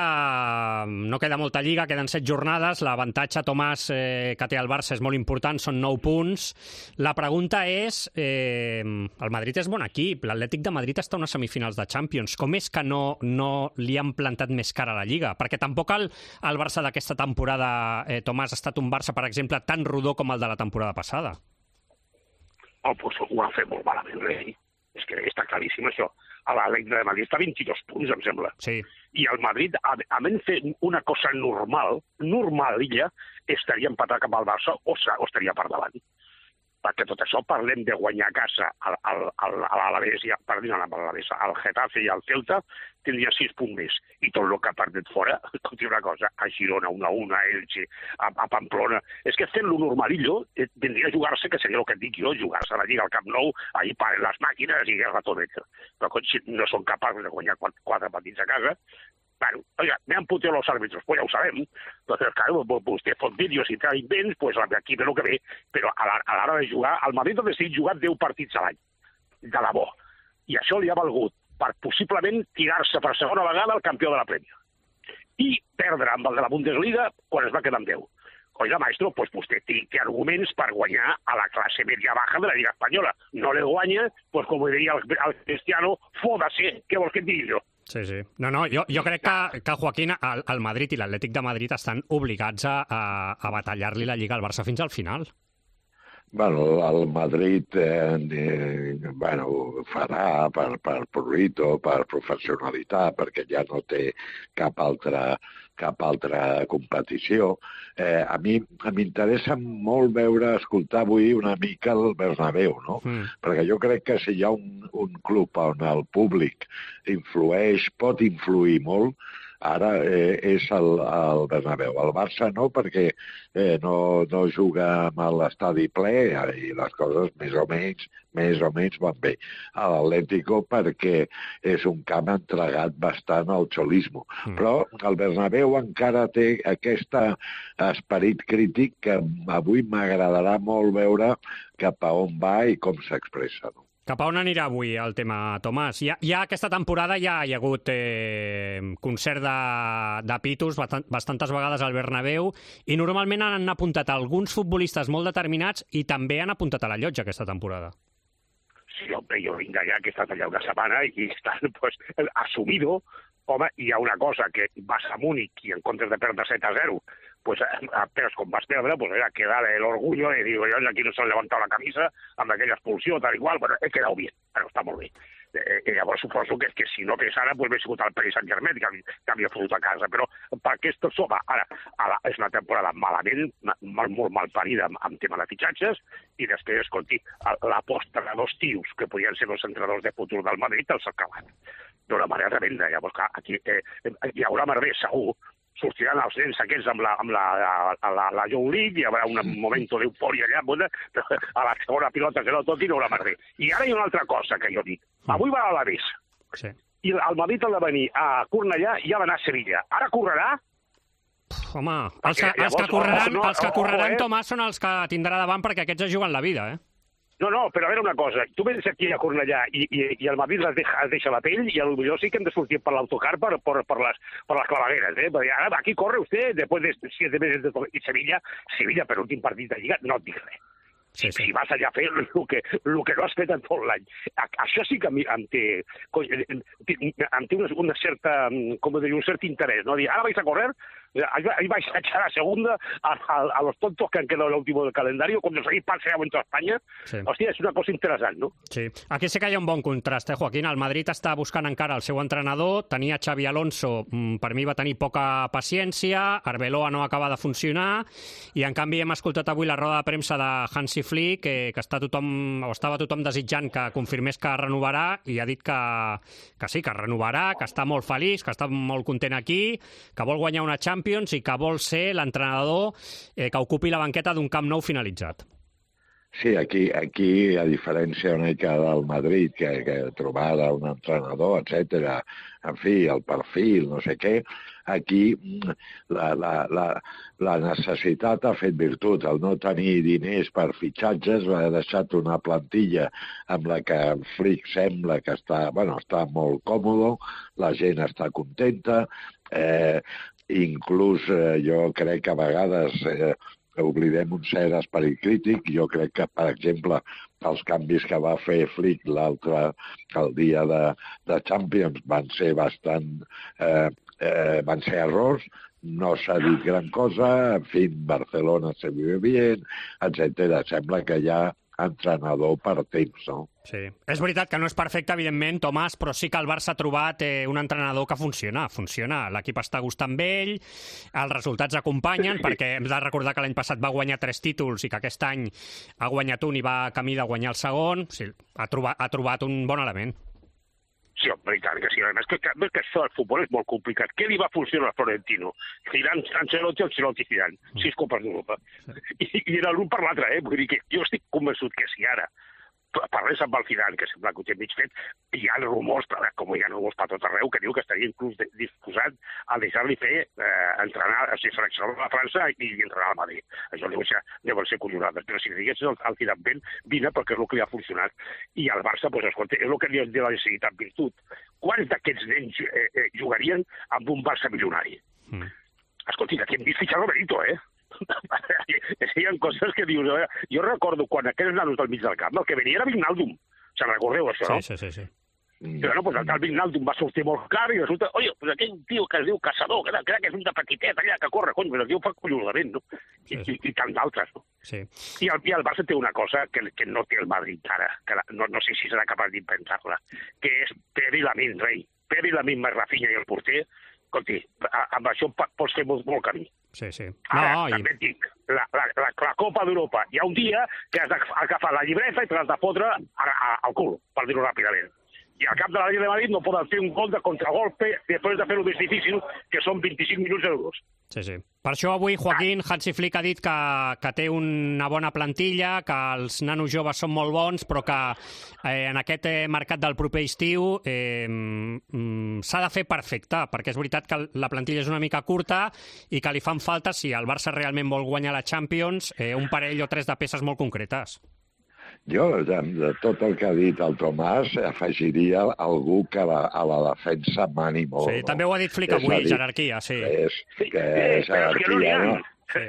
Speaker 4: no queda molta lliga, queden set jornades, l'avantatge, Tomàs, eh, que té el Barça és molt important, són nou punts. La pregunta és, eh, el Madrid és bon equip, l'Atlètic de Madrid està a unes semifinals de Champions, com és que no, no li han plantat més cara a la Lliga? Perquè tampoc el, el Barça d'aquesta temporada, eh, Tomàs, ha estat un Barça, per exemple, tan rodó com el de la temporada passada.
Speaker 21: Oh, pues ho ha fet molt malament, eh? És que està claríssim això. A l'Atlètic de Madrid està a vint-i-dos punts, em sembla.
Speaker 4: Sí.
Speaker 21: I el Madrid, a, a menys fer una cosa normal, normal, ella, estaria empatat cap al Barça o, o estaria per davant. Perquè tot això parlem de guanyar a casa al, al, al, a l'Alavés, i, perdó, a l'Alavés, al Getafe i al Celta, tindria sis punts més. I tot el que ha perdut fora, escolti una cosa, a Girona, una a una, a Elche, a, a Pamplona... És que fent-lo normalillo, eh, tindria a jugar-se, que seria el que et dic jo, jugar-se a la Lliga al Camp Nou, ahir paren les màquines i el ratonet. Però si no són capaços de guanyar quatre, quatre partits a casa, bueno, oiga, me han puteado los árbitros, pues ya lo sabemos. Entonces, claro, pues usted fot vídeos i trae invents, pues aquí ve lo que ve. Però a l'hora de jugar, el Madrid ha decidit jugar deu partits a l'any, de debò. I això li ha valgut per possiblement tirar-se per segona vegada al campió de la Premier. I perdre amb el de la Bundesliga quan es va quedar amb deu. Oiga, maestro, pues usted té arguments per guanyar a la classe media-baja de la Lliga Espanyola. No le guanya, pues com diria el, el Cristiano, fódase, què vols que et digui jo?
Speaker 4: Sí, sí. No, no, jo, jo crec que, que Joaquín, el, el Madrid i l'Atlètic de Madrid estan obligats a, a, a batallar-li la Lliga al Barça fins al final.
Speaker 22: Bueno, el Madrid eh, eh, bueno, farà per, per prurito, per professionalitat, perquè ja no té cap altra, cap altra competició. Eh, a mi m'interessa molt veure, escoltar avui una mica el Bernabéu, no? Mm. Perquè jo crec que si hi ha un, un club on el públic influeix, pot influir molt, ara eh, és el, el Bernabéu. El Barça no, perquè eh, no, no juga amb l'estadi ple i les coses més o menys, més o menys van bé. A l'Atlético perquè és un camp entregat bastant al xolismo. Mm. Però el Bernabéu encara té aquest esperit crític que avui m'agradarà molt veure cap a on va i com s'expressa, no?
Speaker 4: Cap a on anirà avui el tema, Tomàs? Ja, ja aquesta temporada ja hi ha hagut eh, concert de, de pitos bastant, bastantes vegades al Bernabéu i normalment han apuntat alguns futbolistes molt determinats i també han apuntat a la llotja aquesta temporada.
Speaker 21: Sí, hombre, jo vinc allà que he estat allà una setmana i estan pues, assumido. Home, hi ha una cosa, que vas a Múnich i en comptes de perdre set a zero, pues apenas com vas perdre, pues era quedar el orgullo de dir, aquí no s'han levantat la camisa amb aquella expulsió, tal igual, bueno, he quedat bien, però està molt bé. Eh, llavors suposo que, que si no fes ara, doncs hauria sigut el Paris Saint-Germain que, que havia fotut a casa, però per aquesta sopa, ara, ara és una temporada malament, mal, molt mal parida amb, amb tema de fitxatges, i després, escolti, l'aposta de dos tios que podien ser els entrenadors de futur del Madrid els ha acabat d'una manera tremenda. Llavors, clar, aquí eh, hi haurà merder, segur, sortiran els nens aquests amb la, amb la, la, la, la Youth League, hi haurà un moment d'eufòria allà, bona, a la segona pilota que no tot i no haurà merder. I ara hi ha una altra cosa que jo dic. Avui va a l'Alavés.
Speaker 4: Sí.
Speaker 21: I el Madrid ha de venir a Cornellà i ha d'anar a Sevilla. Ara correrà?
Speaker 4: Home, els que, els que correran,
Speaker 21: no,
Speaker 4: els que correran
Speaker 21: eh?
Speaker 4: Tomàs, són els que tindrà davant perquè aquests es juguen la vida, eh?
Speaker 21: No, no, però a veure una cosa, tu vens aquí a Cornellà i, i, i el Madrid es deixa, es deixa la pell i potser sí que hem de sortir per l'autocar per, per, per, les, per les clavegueres, eh? Perquè ara aquí corre usted, después de siete meses de... I Sevilla, Sevilla per últim partit de Lliga, no et dic res. Sí, sí. Si vas allà a fer el que, el que no has fet en tot l'any. Això sí que a mi em té, em té una, una certa, com dir, un cert interès, no? Dir, ara vais a correr, ahí vais a echar a segunda a, a, a los tontos que han quedado en el último del calendario cuando seguís paseando en toda España. Sí. Hòstia, és una cosa interessant, no?
Speaker 4: Sí. Aquí sí que hi ha un bon contrast, eh, Joaquín? El Madrid està buscant encara el seu entrenador, tenia Xavi Alonso, per mi va tenir poca paciència, Arbeloa no acaba de funcionar, i en canvi hem escoltat avui la roda de premsa de Hansi Flick, que, que està tothom, o estava tothom desitjant que confirmés que renovarà, i ha dit que, que sí, que renovarà, que està molt feliç, que està molt content aquí, que vol guanyar una Champions i que vol ser l'entrenador eh, que ocupi la banqueta d'un Camp Nou finalitzat.
Speaker 22: Sí, aquí, aquí a diferència una mica del Madrid, que, que trobar un entrenador, etcètera, en fi, el perfil, no sé què, aquí la, la, la, la necessitat ha fet virtut. El no tenir diners per fitxatges ha deixat una plantilla amb la que Flick sembla que està, bueno, està molt còmode, la gent està contenta, eh, inclús eh, jo crec que a vegades eh, oblidem un cert esperit crític. Jo crec que, per exemple, els canvis que va fer Flick l'altre, el dia de, de Champions, van ser bastant... Eh, eh, van ser errors, no s'ha dit gran cosa, en fi, Barcelona se vive bien, etcètera. Sembla que hi ha entrenador per temps, no?
Speaker 4: Sí. És veritat que no és perfecte, evidentment, Tomàs, però sí que el Barça ha trobat eh, un entrenador que funciona, funciona. L'equip està gustant amb ell, els resultats acompanyen, perquè hem de recordar que l'any passat va guanyar tres títols i que aquest any ha guanyat un i va camí de guanyar el segon. Sí, ha, trobat, ha trobat un bon element.
Speaker 21: Sí, home, i tant que sí. A més, que, que, que això del futbol és molt complicat. Què li va funcionar a Florentino? Zidane, Ancelotti, Ancelotti, Zidane. Sis copes d'Europa. I, I era l'un per l'altre, eh? Vull dir que jo estic convençut que si ara parlés amb el Zidane, que sembla que ho té mig fet, hi ha rumors, com hi ha rumors per tot arreu, que diu que estaria inclús disposat a deixar-li fer, eh, entrenar, o sigui, seleccionar a França i entrenar al Madrid. Això deu ser, deuen ser collonades. Però si digués el, el Zidane ben, vine perquè és el que li ha funcionat. I al Barça, doncs, escolta, és el que dius de la necessitat virtut. Quants d'aquests nens eh, eh, jugarien amb un Barça milionari? Mm. Escolta, aquí hem vist fitxar Roberito, eh? Hi ha coses que dius... Eh? Jo recordo quan aquells nanos del mig del camp, el que venia era Vignaldum. Se'n recordeu, això, no?
Speaker 4: Sí, sí, sí.
Speaker 21: Però no, doncs el tal Vignaldum va sortir molt car i resulta... Oye, pues aquell tio que es diu Caçador, que crec que és un de petitet allà que corre, cony, però el tio fa collonament, no? I, sí, sí. i, i tant d'altres, no?
Speaker 4: Sí.
Speaker 21: I el, I el Barça té una cosa que, que no té el Madrid ara, que la, no, no sé si serà capaç d'inventar-la, que és Pere i Lamin, rei. Pere i Lamin més Rafinha i el porter. Escolti, amb això pots fer molt, molt camí.
Speaker 4: Sí, sí.
Speaker 21: No, Ara,
Speaker 4: i...
Speaker 21: també et dic, la, la, la, la Copa d'Europa, hi ha un dia que has d'agafar la llibreta i te l'has de fotre al cul, per dir-ho ràpidament. I al cap de la Lliga de Madrid no poden fer un gol de contragolpe després de fer-ho més difícil, que són vint-i-cinc minuts d'euros.
Speaker 4: Sí, sí. Per això avui, Joaquín, Hansi Flick ha dit que, que té una bona plantilla, que els nanos joves són molt bons, però que eh, en aquest eh, mercat del proper estiu eh, mm, s'ha de fer perfecte, perquè és veritat que la plantilla és una mica curta i que li fan falta, si el Barça realment vol guanyar la Champions, eh, un parell o tres de peces molt concretes.
Speaker 22: Jo, de, de tot el que ha dit el Tomàs, afegiria algú que la, a la defensa mani molt.
Speaker 4: Sí, també ho ha dit Flick avui, jerarquia, sí.
Speaker 22: És,
Speaker 21: sí,
Speaker 22: que
Speaker 21: és
Speaker 22: jerarquia,
Speaker 21: no?
Speaker 4: Sí.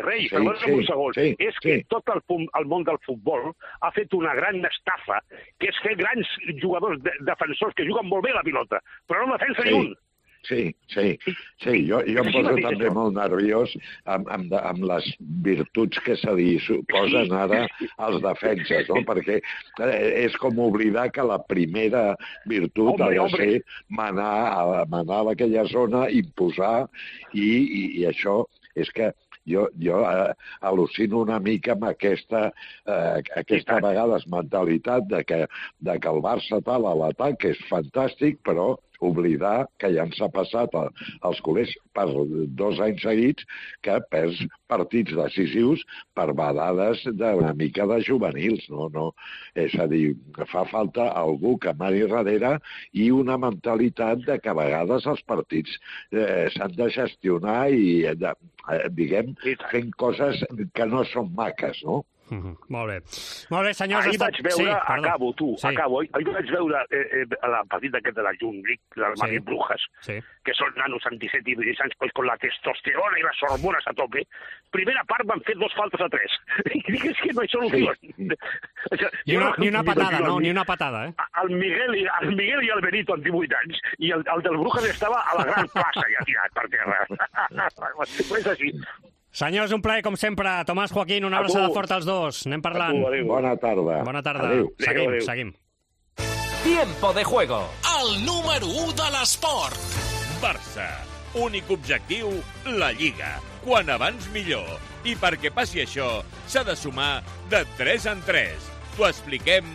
Speaker 21: Rei,
Speaker 22: sí,
Speaker 21: perdona
Speaker 22: sí,
Speaker 21: un segon.
Speaker 22: sí,
Speaker 21: és que
Speaker 22: sí.
Speaker 21: tot el, el món del futbol ha fet una gran estafa, que és fer grans jugadors de, defensors que juguen molt bé la pilota, però no defensa
Speaker 22: sí.
Speaker 21: ni un.
Speaker 22: Sí, sí, sí. Jo, jo em poso també molt nerviós amb, amb, amb les virtuts que se li suposen ara als defenses, no? Perquè és com oblidar que la primera virtut ha de ser manar, manar a aquella zona, imposar, i, i, i això és que jo, jo eh, al·lucino una mica amb aquesta, eh, aquesta vegades mentalitat de que, de que el Barça tal a l'atac és fantàstic, però oblidar que ja ens ha passat a, als culers per dos anys seguits que perds partits decisius per vedades d'una mica de juvenils, no? No, és a dir, fa falta algú que mani darrere i una mentalitat de que a vegades els partits eh, s'han de gestionar i, de, eh, diguem, fent coses que no són maques, no?
Speaker 4: Mm-hmm. Molt bé. Molt bé, senyors.
Speaker 21: Ahir vaig veure,
Speaker 4: sí,
Speaker 21: acabo, tu,
Speaker 4: sí.
Speaker 21: acabo. Ahir vaig veure eh, eh, el partit aquest de la Jun League, del
Speaker 4: Sí.
Speaker 21: Madrid Brujas,
Speaker 4: Sí.
Speaker 21: que són nanos amb disset i divuit anys, pues, con la testosterona i les hormones a tope. Primera part van fer dos faltes a tres. I digues que no hi solució. Sí. O sea,
Speaker 4: Ni una, ni una patada, no? Ni una patada, eh?
Speaker 21: El Miguel, i, el Miguel i el Benito amb divuit anys, i el, el del Brujas estava a la gran plaça ja tirat per terra. Pues així.
Speaker 4: Senyors, un plaer, com sempre. Tomàs, Joaquín, una abraçada forta als dos. Anem parlant.
Speaker 22: Bona tarda.
Speaker 4: Bona tarda.
Speaker 22: Adéu.
Speaker 4: Seguim,
Speaker 22: Adéu.
Speaker 4: seguim.
Speaker 2: Tiempo de juego.
Speaker 5: El número u de l'esport.
Speaker 11: Barça. Únic objectiu, la Lliga. Quan abans millor. I perquè passi això, s'ha de sumar de tres en tres. T'ho expliquem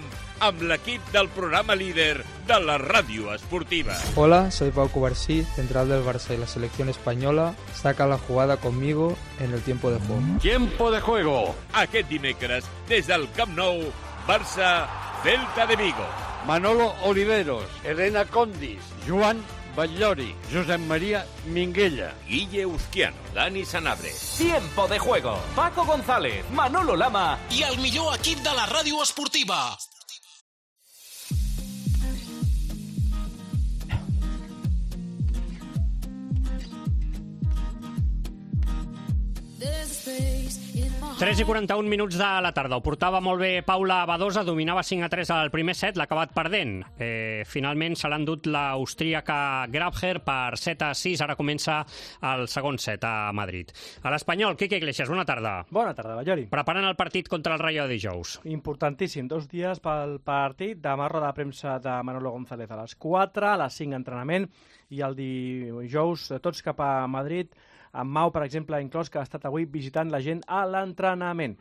Speaker 11: amb l'equip del programa líder de la ràdio esportiva.
Speaker 23: Hola, soy Pau Cubarsí, central del Barça y la selección española. Saca la jugada conmigo en el tiempo de juego.
Speaker 11: Tiempo de juego. Aquest dimecres, des del Camp Nou, Barça, Celta de Vigo.
Speaker 24: Manolo Oliveros, Elena Condis, Joan Batllori, Josep María Minguella,
Speaker 11: Guille Uzquiano, Dani Sanabria.
Speaker 2: Tiempo de juego. Paco González, Manolo Lama
Speaker 5: I el millor equip de la ràdio esportiva.
Speaker 4: tres i quaranta-un minuts de la tarda. Ho portava molt bé Paula Badosa, dominava cinc a tres al primer set, l'ha acabat perdent. Eh, finalment se l'ha endut l'austríaca Grabher per set a sis. Ara comença el segon set a Madrid. A l'Espanyol, Quique Iglesias, bona tarda.
Speaker 25: Bona tarda, Ballori.
Speaker 4: Preparant el partit contra el Rayo de dijous.
Speaker 25: Importantíssim, dos dies pel partit. Demà roda de premsa de Manolo González a les quatre, a les cinc entrenament, i el dijous tots cap a Madrid, amb Mau, per exemple, inclòs, que ha estat avui visitant la gent a l'entrenament.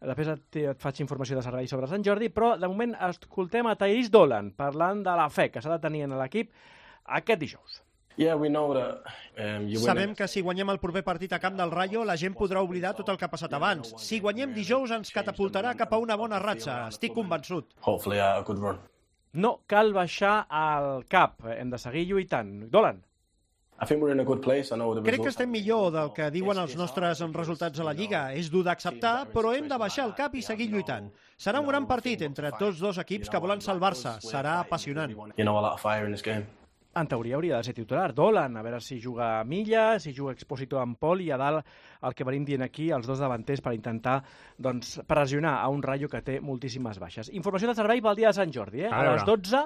Speaker 25: Després et, et faig informació de servei sobre Sant Jordi, però de moment escoltem a Thaís Dolan parlant de la fe que s'ha de tenir en l'equip aquest dijous.
Speaker 26: Yeah, we know that, um, you
Speaker 17: Sabem que si guanyem el proper partit a camp del Rayo, la gent podrà oblidar tot el que ha passat abans. Si guanyem dijous, ens catapultarà cap a una bona ratxa. Estic convençut.
Speaker 26: Hopefully a good run.
Speaker 25: No cal baixar al cap. Hem de seguir lluitant. Dolan.
Speaker 26: I think we're in a good place. I know the
Speaker 17: Crec que
Speaker 26: results.
Speaker 17: estem millor del que diuen els nostres resultats a la Lliga. És dur d'acceptar, però hem de baixar el cap i seguir lluitant. Serà un gran partit entre tots dos equips que volen salvar-se. Serà apassionant.
Speaker 26: You know, a lot of fire in this game.
Speaker 25: En teoria hauria de ser titular Dolan, a veure si juga a Milla, si juga Expósito amb Pol, i a dalt el que venim dient aquí, els dos davanters, per intentar doncs, pressionar a un Rayo que té moltíssimes baixes. Informació de servei pel dia de Sant Jordi, eh? A, a les dotze,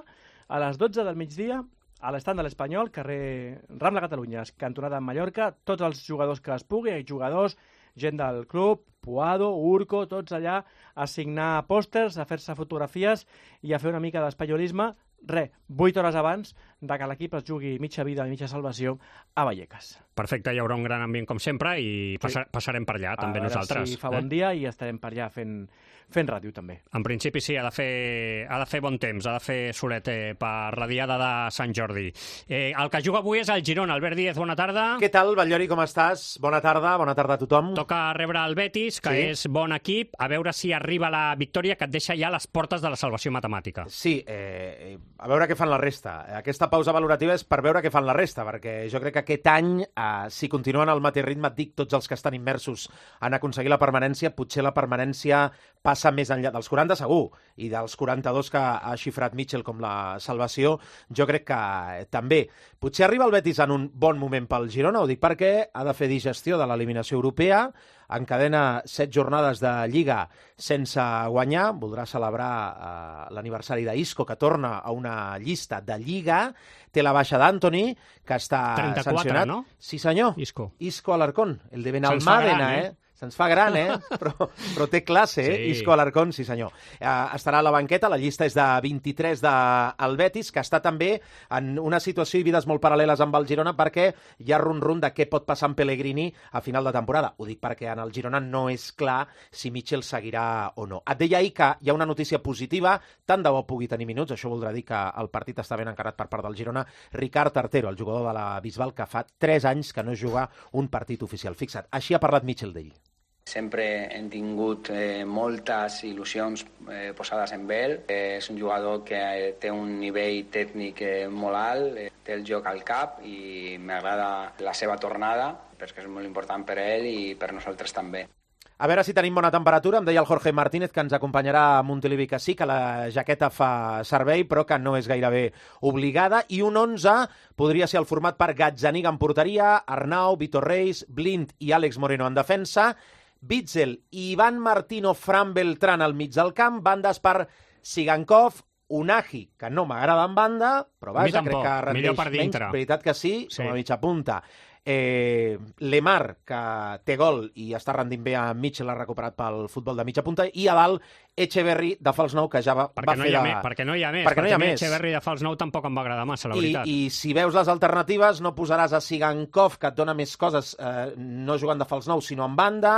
Speaker 25: a les dotze del migdia, a l'estand de l'Espanyol, carrer Rambla Catalunya, cantonada en Mallorca, tots els jugadors que es pugui, jugadors, gent del club, Puado, Urco, tots allà a signar pòsters, a fer-se fotografies i a fer una mica d'espanyolisme, re, vuit hores abans de que l'equip es jugui mitja vida i mitja salvació a Vallecas.
Speaker 4: Perfecte, hi haurà un gran ambient com sempre i passa,
Speaker 25: Sí.
Speaker 4: passarem per allà,
Speaker 25: A
Speaker 4: també
Speaker 25: veure
Speaker 4: nosaltres.
Speaker 25: si fa bon
Speaker 4: eh?
Speaker 25: dia i estarem per allà fent, fent ràdio també.
Speaker 4: En principi sí, ha de fer, ha de fer bon temps, ha de fer solet eh, per la diada de Sant Jordi. Eh, el que juga avui és el Girona. Albert Díez, bona tarda.
Speaker 27: Què tal, Batllori, com estàs? Bona tarda, bona tarda a tothom.
Speaker 4: Toca rebre el Betis, que
Speaker 27: Sí.
Speaker 4: és bon equip, a veure si arriba la victòria que et deixa ja a les portes de la salvació matemàtica.
Speaker 27: Sí, eh, a veure què fan la resta. Aquesta pausa valorativa és per veure què fan la resta, perquè jo crec que aquest any, eh, si continuen al mateix ritme, et dic, tots els que estan immersos en aconseguir la permanència, potser la permanència passa més enllà dels quaranta, segur, i dels quaranta-dos que ha xifrat Mitchell com la salvació, jo crec que eh, també. Potser arriba el Betis en un bon moment pel Girona, ho dic perquè ha de fer digestió de l'eliminació europea, encadena set jornades de Lliga sense guanyar, voldrà celebrar eh, l'aniversari d'Isco, que torna a una llista de Lliga, té la baixa d'Anthony, que està
Speaker 4: trenta-quatre,
Speaker 27: sancionat.
Speaker 4: no?
Speaker 27: Sí, senyor.
Speaker 4: Isco.
Speaker 27: Isco Alarcón, el de
Speaker 4: Se'ns fa
Speaker 27: Benalmádena,
Speaker 4: gran,
Speaker 27: eh? Se'ns fa gran, eh? Però, però té classe, eh?
Speaker 4: Sí.
Speaker 27: Isco Alarcón, sí senyor. Uh, estarà a la banqueta, la llista és de vint-i-tres del Betis, que està també en una situació i vides molt paral·leles amb el Girona, perquè hi ha run-run de què pot passar amb Pellegrini a final de temporada. Ho dic perquè en el Girona no és clar si Mitchell seguirà o no. Et deia ahir que hi ha una notícia positiva, tant de bo pugui tenir minuts, això voldrà dir que el partit està ben encarat per part del Girona, Ricard Artero, el jugador de la Bisbal, que fa tres anys que no juga un partit oficial. Fixa't, així ha parlat Mitchell d'ell.
Speaker 1: Sempre hem tingut eh, moltes il·lusions eh, posades en ell. Eh, és un jugador que eh, té un nivell tècnic eh, molt alt, eh, té el joc al cap i m'agrada la seva tornada, perquè és molt important per ell i per nosaltres també.
Speaker 27: A veure si tenim bona temperatura. Em deia el Jorge Martínez que ens acompanyarà a Montilivi que sí, que la jaqueta fa servei, però que no és gairebé obligada. I un onze podria ser el format per Gazzaniga en porteria, Arnau, Vitor Reis, Blind i Àlex Moreno en defensa, Witzel i Ivan Martino Fran Beltrán al mig del camp, bandes per Sigankov, Unagi, que no m'agrada en banda, però vaja, crec que rendeix menys, veritat que sí, sí. Com a mitja punta. Eh, Lemar, que té gol i està rendint bé a Mitchell, l'ha recuperat pel futbol de mitja punta, i a dalt Echeverri de fals nou, que ja va,
Speaker 4: perquè
Speaker 27: va
Speaker 4: no
Speaker 27: fer
Speaker 4: de...
Speaker 27: de...
Speaker 4: Perquè no hi ha més,
Speaker 27: perquè, perquè no hi ha més.
Speaker 4: Echeverri de fals nou tampoc em va agradar massa, la
Speaker 27: I,
Speaker 4: veritat.
Speaker 27: I si veus les alternatives, no posaràs a Sigankov, que et dona més coses, eh, no jugant de fals nou, sinó en banda,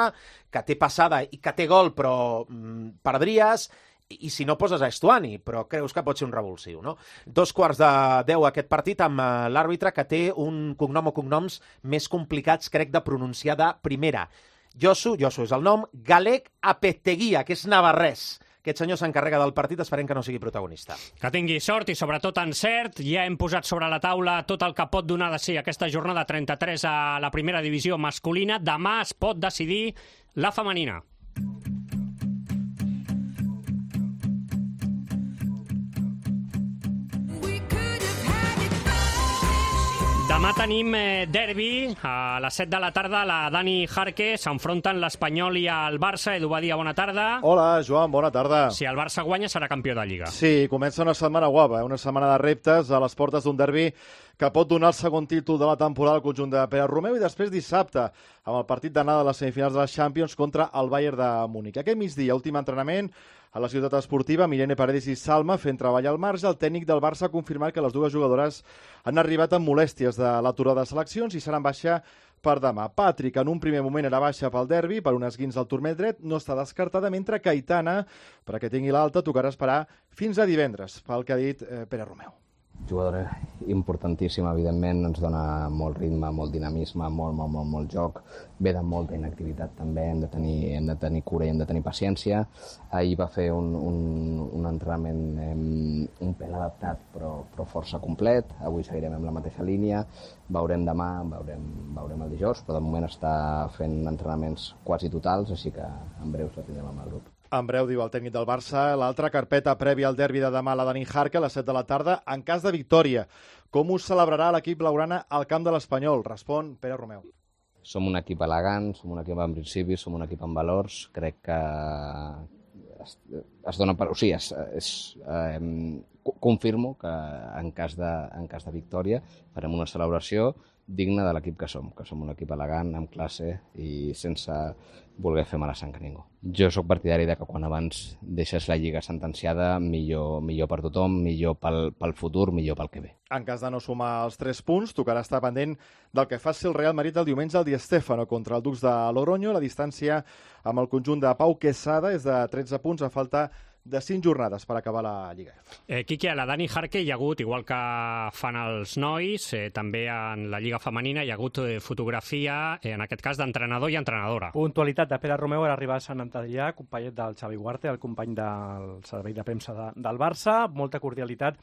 Speaker 27: que té passada i que té gol, però mm, perdries, i si no poses a Estuani, però creus que pot ser un revulsiu, no? Dos quarts de deu aquest partit amb l'àrbitre, que té un cognom o cognoms més complicats, crec, de pronunciar de primera. Josu, Josu és el nom, Galec Apeteguia, que és navarrès. Aquest senyor s'encarrega del partit, esperem que no sigui protagonista.
Speaker 4: Que tingui sort i sobretot encert. Ja hem posat sobre la taula tot el que pot donar de si aquesta jornada trenta-tres a la primera divisió masculina. Demà es pot decidir la femenina. Demà tenim eh, derbi, a les set de la tarda la Dani Jarque s'enfronten l'Espanyol i el Barça. Edu Badia, bona tarda.
Speaker 3: Hola, Joan, bona tarda.
Speaker 4: Si el Barça guanya serà campió de Lliga.
Speaker 3: Sí, comença una setmana guapa, una setmana de reptes a les portes d'un derbi que pot donar el segon títol de la temporada al conjunt de Pere Romeu, i després dissabte amb el partit d'anada de les semifinals de la Champions contra el Bayern de Múnich. Aquest migdia, últim entrenament a la ciutat esportiva, Irene Paredes i Salma fent treballar al marge. El tècnic del Barça ha confirmat que les dues jugadores han arribat amb molèsties de l'aturada de seleccions i seran baixa per demà. Patrick, en un primer moment era baixa pel derbi per un esguins al turmell dret, no està descartada, mentre que Aitana, perquè tingui l'alta, tocarà esperar fins a divendres, pel que ha dit eh, Pere Romeu.
Speaker 6: Jugadora importantíssima, evidentment, ens dona molt ritme, molt dinamisme, molt, molt, molt, molt joc. Ve de molta inactivitat també, hem de tenir, hem de tenir cura i hem de tenir paciència. Ahir va fer un, un, un entrenament eh, un pèl adaptat, però, però força complet. Avui seguirem amb la mateixa línia. Veurem demà, veurem, veurem el dijous, però de moment està fent entrenaments quasi totals, així que en breu la tindrem amb el grup.
Speaker 3: En breu, diu el tècnic del Barça, l'altra carpeta prèvia al derbi de demà, la Dani Jarque, a les set de la tarda, en cas de victòria. Com us celebrarà l'equip blaugrana al camp de l'Espanyol? Respon Pere Romeu.
Speaker 6: Som un equip elegant, som un equip amb principis, som un equip amb valors. Crec que es, es dona per... O sigui, es, es, eh, confirmo que en cas, de, en cas de victòria farem una celebració digna de l'equip que som, que som un equip elegant, amb classe i sense voler fer mala sang a ningú. Jo sóc partidari de que quan abans deixes la Lliga sentenciada, millor, millor per tothom, millor pel, pel futur, millor pel que ve.
Speaker 3: En cas de no sumar els tres punts, tocarà estar pendent del que faci el Real Madrid el diumenge al Di Stéfano contra el Dux de Logroño. La distància amb el conjunt de Pau Quesada és de tretze punts a falta de cinc jornades per acabar la Lliga.
Speaker 4: Eh, Quique, a la Dani Jarque hi ha hagut, igual que fan els nois, eh, també en la Lliga femenina hi ha hagut eh, fotografia, eh, en aquest cas d'entrenador i entrenadora.
Speaker 25: Puntualitat de Pere Romeu per arribar a Sant Antadellà, companyet del Xavi Huarte, el company del servei de premsa de, del Barça, molta cordialitat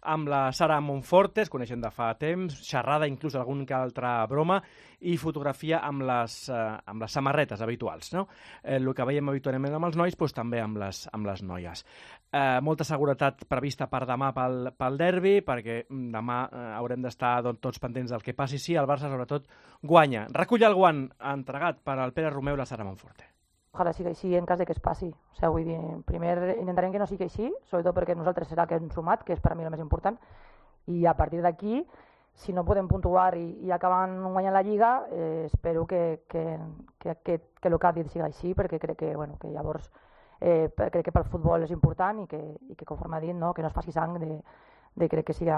Speaker 25: amb la Sara Monforte, es coneixen de fa temps, xerrada, inclús alguna que altra broma, i fotografia amb les, eh, amb les samarretes habituals, no? Eh, el que veiem habitualment amb els nois, doncs, també amb les, amb les noies. Eh, molta seguretat prevista per demà pel, pel derbi, perquè demà eh, haurem d'estar doncs, tots pendents del que passi. Sí, el Barça, sobretot, guanya. Recull el guant entregat per al Pere Romeu i la Sara Monforte.
Speaker 7: Ojalà sigui així en cas de que es passi. O sigui, vull dir, primer intentarem que no sigui així, sobretot perquè nosaltres serà que hem sumat, que és per a mi el més important, i a partir d'aquí, si no podem puntuar i, i acaben guanyant la Lliga, eh, espero que, que, que, que, que el que ha dit sigui així, perquè crec que, bueno, que llavors eh, crec que pel futbol és important i que, i que conforme ha dit, no, que no es faci sang de, de crec que sigui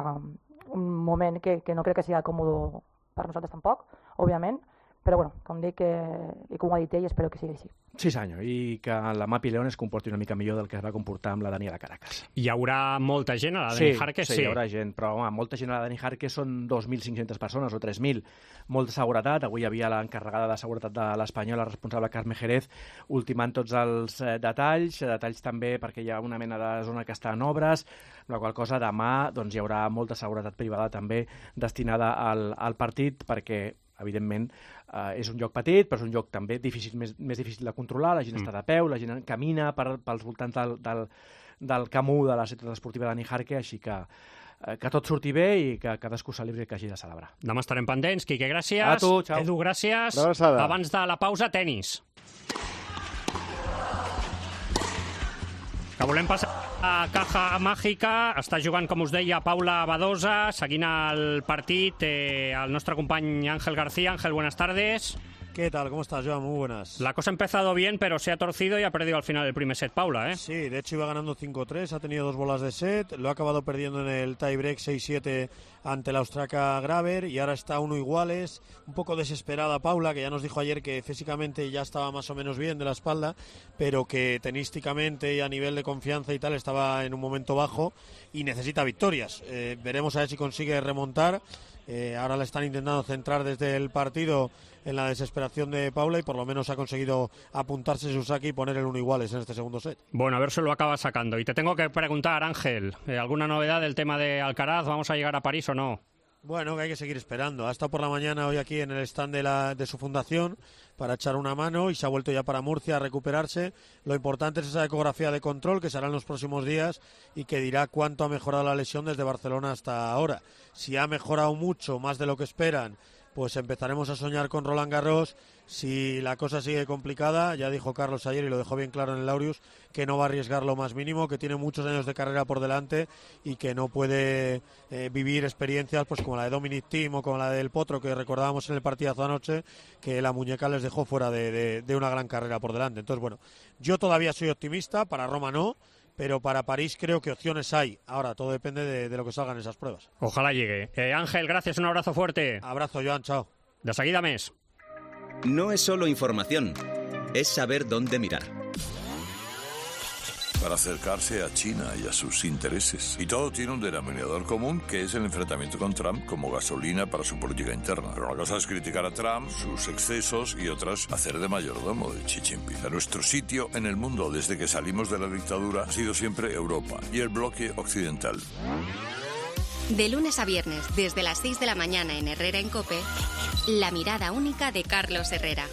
Speaker 7: un moment que, que no crec que sigui còmode per nosaltres tampoc, òbviament, però bueno, com dic, eh, i com ho ha dit ell, espero que sigui així.
Speaker 25: Sí, senyor, i que la Mapi León es comporti una mica millor del que es va comportar amb la Dani de Caracas.
Speaker 4: Hi haurà molta gent a la Dani
Speaker 25: sí,
Speaker 4: Jarque?
Speaker 25: Sí, sí, hi haurà gent, però home, molta gent a la Dani Jarque són dos mil cinc-centes persones o tres mil. Molta seguretat, avui hi havia l'encarregada de seguretat de l'Espanyol, la responsable Carme Jerez, ultimant tots els eh, detalls, detalls també perquè hi ha una mena de zona que està en obres, la qual cosa demà doncs, hi haurà molta seguretat privada també destinada al, al partit, perquè evidentment, eh, és un lloc petit, però és un lloc també difícil, més, més difícil de controlar, la gent mm. està de peu, la gent camina per, pels voltants del, del, del camú de la ciutat esportiva de Dani Jarque, així que, eh, que tot surti bé i que cadascú celebri que hagi de celebrar.
Speaker 4: Demà estarem pendents. Quique, gràcies.
Speaker 25: A tu, xau.
Speaker 4: Edu, gràcies. Abans de la pausa, tenis. Que volem passar a Caja Màgica. Està jugant, com us deia, Paula Badosa, seguint el partit eh, el nostre company Ángel García. Ángel, buenas tardes.
Speaker 8: ¿Qué tal? ¿Cómo estás, Joan? Muy buenas.
Speaker 4: La cosa ha empezado bien, pero se ha torcido y ha perdido al final el primer set, Paula, ¿eh?
Speaker 8: Sí, de hecho iba ganando cinco tres, ha tenido dos bolas de set, lo ha acabado perdiendo en el tiebreak seis siete ante la austriaca Graver y ahora está uno iguales. Un poco desesperada Paula, que ya nos dijo ayer que físicamente ya estaba más o menos bien de la espalda, pero que tenísticamente y a nivel de confianza y tal estaba en un momento bajo y necesita victorias. Eh, veremos a ver si consigue remontar. Eh, ahora le están intentando centrar desde el partido en la desesperación de Paula y por lo menos ha conseguido apuntarse su saque y poner el uno iguales en este segundo set.
Speaker 4: Bueno, a ver si lo acaba sacando. Y te tengo que preguntar, Ángel, eh, ¿alguna novedad del tema de Alcaraz? ¿Vamos a llegar a París o no?
Speaker 8: Bueno, que hay que seguir esperando. Ha estado por la mañana hoy aquí en el stand de, la, de su fundación para echar una mano y se ha vuelto ya para Murcia a recuperarse. Lo importante es esa ecografía de control que será en los próximos días y que dirá cuánto ha mejorado la lesión desde Barcelona hasta ahora. Si ha mejorado mucho, más de lo que esperan, pues empezaremos a soñar con Roland Garros. Si la cosa sigue complicada, ya dijo Carlos ayer y lo dejó bien claro en el Laureus, que no va a arriesgar lo más mínimo, que tiene muchos años de carrera por delante y que no puede eh, vivir experiencias pues como la de Dominic Thiem o como la del Potro que recordábamos en el partidazo anoche, que la muñeca les dejó fuera de, de, de una gran carrera por delante. Entonces, bueno, yo todavía soy optimista, para Roma no, pero para París creo que opciones hay. Ahora, todo depende de, de lo que salgan esas pruebas.
Speaker 4: Ojalá llegue. Eh, Ángel, gracias, un abrazo fuerte.
Speaker 8: Abrazo, Joan, chao.
Speaker 4: De seguida més.
Speaker 9: No es solo información, es saber dónde mirar.
Speaker 10: Para acercarse a China y a sus intereses. Y todo tiene un denominador común, que es el enfrentamiento con Trump como gasolina para su política interna. Pero una cosa es criticar a Trump, sus excesos, y otras hacer de mayordomo de Xi Jinping. Nuestro sitio en el mundo desde que salimos de la dictadura ha sido siempre Europa y el bloque occidental.
Speaker 12: De lunes a viernes, desde las seis de la mañana en Herrera en COPE, la mirada única de Carlos Herrera.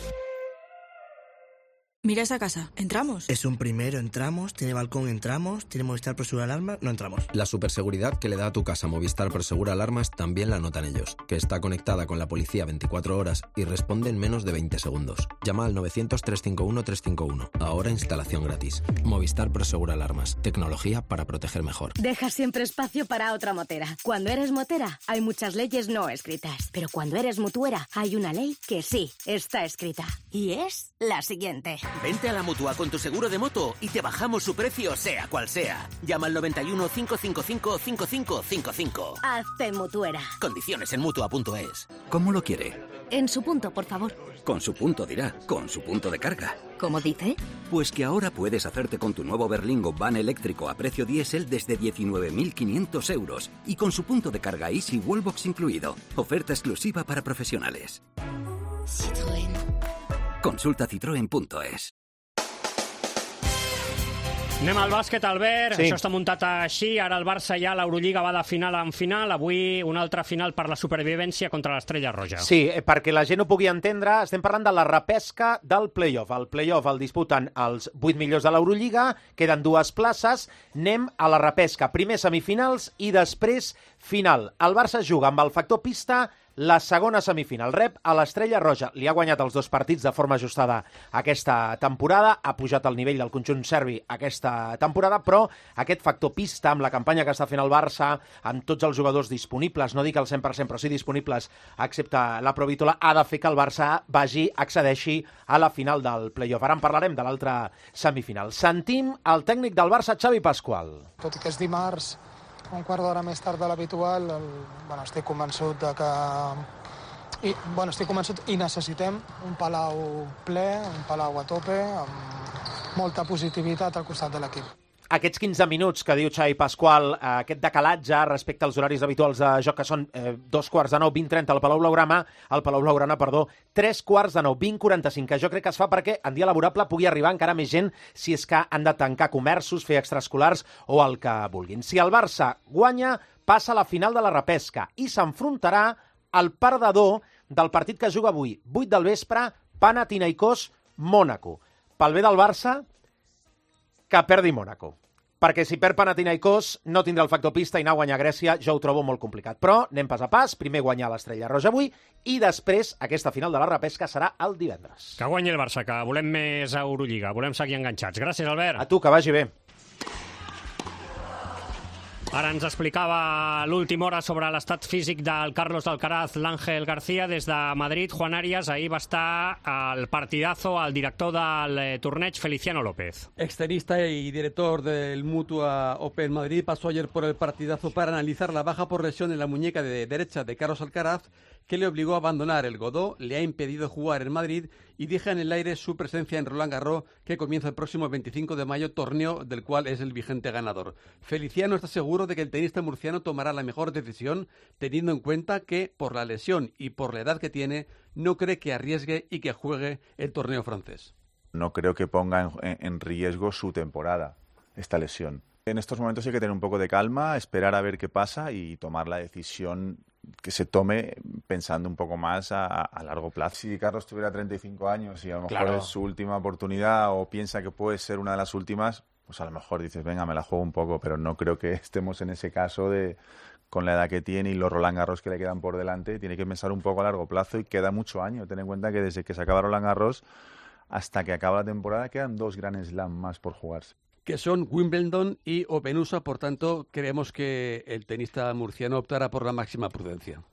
Speaker 14: Mira esa casa, ¿entramos?
Speaker 16: Es un primero, entramos, tiene balcón, entramos, tiene Movistar Prosegur Alarmas, no entramos.
Speaker 28: La superseguridad que le da a tu casa Movistar Prosegur Alarmas también la notan ellos, que está conectada con la policía veinticuatro horas y responde en menos de veinte segundos. Llama al novecientos, trescientos cincuenta y uno, trescientos cincuenta y uno. Ahora instalación gratis. Movistar Prosegur Alarmas. Tecnología para proteger mejor.
Speaker 12: Deja siempre espacio para otra motera. Cuando eres motera, hay muchas leyes no escritas. Pero cuando eres mutuera, hay una ley que sí está escrita. Y es la siguiente.
Speaker 29: Vente a la Mutua con tu seguro de moto y te bajamos su precio sea cual sea. Llama al noventa y uno, cinco cinco cinco, cinco cinco cinco cinco.
Speaker 12: Hazte mutuera.
Speaker 29: Condiciones en Mutua punto es.
Speaker 30: ¿Cómo lo quiere?
Speaker 12: En su punto, por favor.
Speaker 30: Con su punto dirá, con su punto de carga.
Speaker 12: ¿Cómo dice?
Speaker 30: Pues que ahora puedes hacerte con tu nuevo Berlingo van eléctrico a precio diésel desde diecinueve mil quinientos euros y con su punto de carga Easy Wallbox incluido. Oferta exclusiva para profesionales.
Speaker 12: Citroën.
Speaker 30: Consulta citroen punto es.
Speaker 4: Anem al bàsquet, Albert.
Speaker 27: Sí.
Speaker 4: Això està muntat així. Ara el Barça ja, l'Eurolliga va de final en final. Avui una altra final per la supervivència contra l'Estrella Roja.
Speaker 27: Sí, perquè la gent ho pugui entendre, estem parlant de la repesca del play-off. El play-off el disputen els vuit millors de l'Eurolliga, queden dues places, anem a la repesca. Primer semifinals i després final. El Barça juga amb el factor pista la segona semifinal. Rep a l'Estrella Roja. Li ha guanyat els dos partits de forma ajustada aquesta temporada, ha pujat el nivell del conjunt serbi aquesta temporada, però aquest factor pista, amb la campanya que està fent el Barça, amb tots els jugadors disponibles, no dic el cent per cent, però sí disponibles, excepte la Provítola, ha de fer que el Barça vagi, accedeixi a la final del play-off. Ara en parlarem de l'altra semifinal. Sentim el tècnic del Barça, Xavi Pascual.
Speaker 13: Tot i que és dimarts, un quart d'hora més tard de l'habitual, el... bueno, estic convençut de que... I, bueno, estic convençut i necessitem un Palau ple, un Palau a tope, amb molta positivitat al costat de l'equip.
Speaker 27: Aquests quinze minuts que diu Xavi Pascual, eh, aquest decalatge respecte als horaris habituals de joc, que són eh, dos quarts de nou, vint trenta al Palau Blaugrana, al Palau Blaugrana, perdó, tres quarts de nou, vint quaranta-cinc, que jo crec que es fa perquè en dia laborable pugui arribar encara més gent si és que han de tancar comerços, fer extraescolars o el que vulguin. Si el Barça guanya, passa a la final de la repesca i s'enfrontarà al perdedor del partit que juga avui, vuit del vespre, Panathinaikos-Mònaco. Pel bé del Barça, que perdi Mònaco. Perquè si perd Panathinaikos no tindrà el factor pista i anar a guanyar a Grècia jo ho trobo molt complicat. Però anem pas a pas, primer guanyar l'Estrella Roja avui i després aquesta final de la repesca serà el divendres.
Speaker 4: Que guanyi el Barça, que volem més Eurolliga, volem seguir enganxats. Gràcies, Albert.
Speaker 27: A tu, que vagi bé.
Speaker 4: Ara ens explicava l'última hora sobre l'estat físic del Carlos Alcaraz, l'Àngel García, des de Madrid. Juan Arias, ahir va estar al partidazo al director del torneig, Feliciano López.
Speaker 14: Extenista y director del Mutua Open Madrid, pasó ayer por el partidazo para analizar la baja por lesión en la muñeca de derecha de Carlos Alcaraz, que le obligó a abandonar el Godó, le ha impedido jugar en Madrid y deja en el aire su presencia en Roland Garros, que comienza el próximo veinticinco de mayo, torneo del cual es el vigente ganador. Feliciano está seguro de que el tenista murciano tomará la mejor decisión, teniendo en cuenta que, por la lesión y por la edad que tiene, no cree que arriesgue y que juegue el torneo francés.
Speaker 15: No creo que ponga en, en riesgo su temporada, esta lesión. En estos momentos hay que tener un poco de calma, esperar a ver qué pasa y tomar la decisión que se tome pensando un poco más a, a largo plazo. Si Carlos tuviera treinta y cinco años y a lo mejor
Speaker 27: Claro.
Speaker 15: es su última oportunidad o piensa que puede ser una de las últimas, pues a lo mejor dices, venga, me la juego un poco, pero no creo que estemos en ese caso de con la edad que tiene y los Roland Garros que le quedan por delante. Tiene que pensar un poco a largo plazo y queda mucho año. Ten en cuenta que desde que se acaba Roland Garros hasta que acaba la temporada quedan dos Grand Slam más por jugarse.
Speaker 14: Que son Wimbledon y Open U S A, por tanto, creemos que el tenista murciano optará por la máxima prudencia.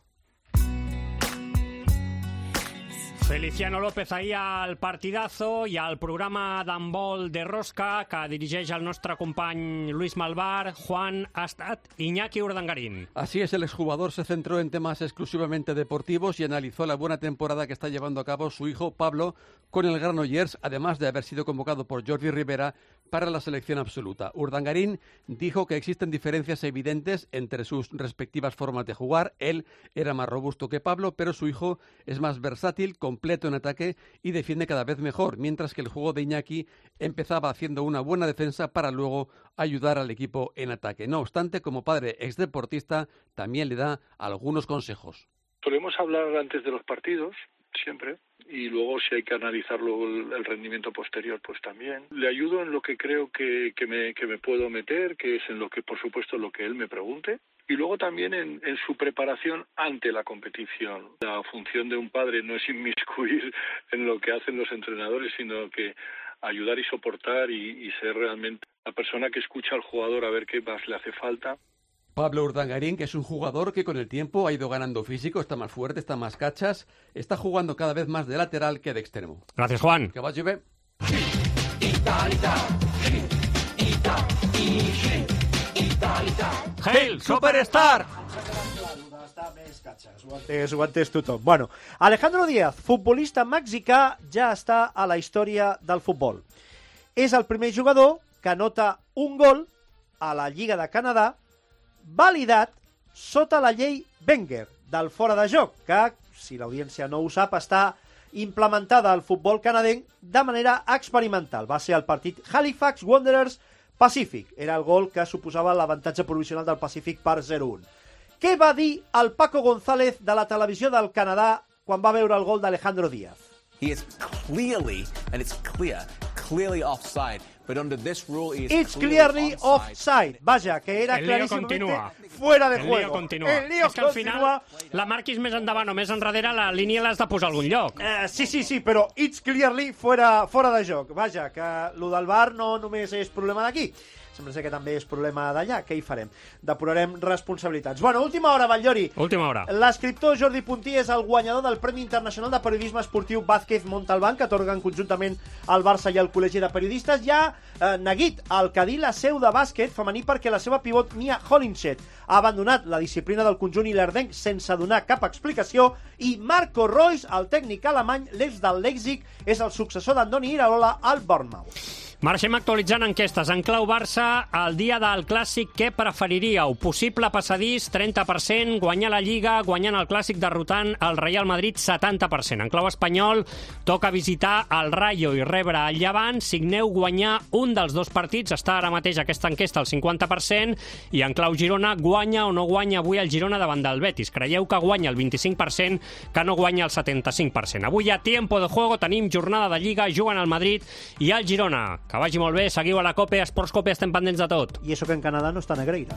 Speaker 4: Feliciano López ahir al partidazo i al programa d'handbol de Rosca, que dirigeix el nostre company Luis Malvar. Juan, ha estat Iñaki Urdangarín.
Speaker 14: Así es, el exjugador se centró en temas exclusivamente deportivos y analizó la buena temporada que está llevando a cabo su hijo Pablo con el Granollers, además de haber sido convocado por Jordi Rivera para la selección absoluta. Urdangarín dijo que existen diferencias evidentes entre sus respectivas formas de jugar. Él era más robusto que Pablo, pero su hijo es más versátil, completo en ataque y defiende cada vez mejor, mientras que el juego de Iñaki empezaba haciendo una buena defensa para luego ayudar al equipo en ataque. No obstante, como padre exdeportista, también le da algunos consejos.
Speaker 18: Solemos hablar antes de los partidos, siempre, y luego si hay que analizarlo el, el rendimiento posterior, pues también. Le ayudo en lo que creo que, que, me, que me puedo meter, que es en lo que, por supuesto, lo que él me pregunte. Y luego también en, en su preparación ante la competición. La función de un padre no es inmiscuir en lo que hacen los entrenadores, sino que ayudar y soportar y, y ser realmente la persona que escucha al jugador a ver qué más le hace falta.
Speaker 14: Pablo Urdangarín, que es un jugador que con el tiempo ha ido ganando físico, está más fuerte, está más cachas, está jugando cada vez más de lateral que de extremo.
Speaker 4: Gracias, Juan.
Speaker 14: Que vagi bé.
Speaker 4: Hail, Superstar!
Speaker 17: És, ho entès tothom. Bueno, Alejandro Díaz, futbolista mexicà, ja està a la història del futbol. És el primer jugador que anota un gol a la Lliga de Canadà validat sota la llei Wenger del fora de joc, que, si l'audiència no ho sap, està implementada al futbol canadenc de manera experimental. Va ser el partit Halifax Wanderers Pacífic. Era el gol que suposava l'avantatge provisional del Pacífic per zero a un. Què va dir el Paco González de la televisió del Canadà quan va veure el gol d'Alejandro Díaz?
Speaker 2: He is clearly, and it's clear, clearly offside. But under this rule, he is
Speaker 17: It's clearly offside. Vaja, que era
Speaker 4: El lío
Speaker 17: clarísimamente
Speaker 4: continua.
Speaker 17: fuera de
Speaker 4: El
Speaker 17: juego.
Speaker 4: lío continua.
Speaker 17: El lío
Speaker 4: És que al
Speaker 17: continua.
Speaker 4: final la marquis més endavant o més enrere, la línia l'has de posar a algun lloc.
Speaker 17: Eh, sí, sí, sí, però it's clearly fuera, fora de joc. Vaja, que lo del V A R no només és problema d'aquí. Sembla ser que també és problema d'allà. Què hi farem? Depurarem responsabilitats. Bueno, última hora, Batllori.
Speaker 4: Última hora.
Speaker 17: L'escriptor Jordi Puntí és el guanyador del Premi Internacional de Periodisme Esportiu Vázquez Montalbán, que atorguen conjuntament al Barça i al Col·legi de Periodistes. Ja eh, neguit el Cadí la seu de bàsquet femení perquè la seva pivot Mia Hollinshed ha abandonat la disciplina del conjunt ilerdenc sense donar cap explicació, i Marco Reus, el tècnic alemany, l'ex del Leipzig, és el successor d'Andoni Iraola al Bournemouth.
Speaker 4: Marxem actualitzant enquestes. En clau Barça, el dia del Clàssic, què preferiríeu? Possible passadís, trenta per cent, guanyar la Lliga, guanyant el Clàssic derrotant el Real Madrid, setanta per cent. En clau espanyol, toca visitar el Rayo i rebre el Llevant, signeu guanyar un dels dos partits, està ara mateix aquesta enquesta al cinquanta per cent, i en clau Girona, guanya o no guanya avui el Girona davant del Betis. Creieu que guanya el vint-i-cinc per cent, que no guanya el setanta-cinc per cent. Avui a Tiempo de Juego tenim jornada de Lliga, juguen el Madrid i el Girona. Que vagi molt bé, seguiu a la COPE, a Esports COPE, estem pendents de tot.
Speaker 17: I això que en Canadà no està Negreira.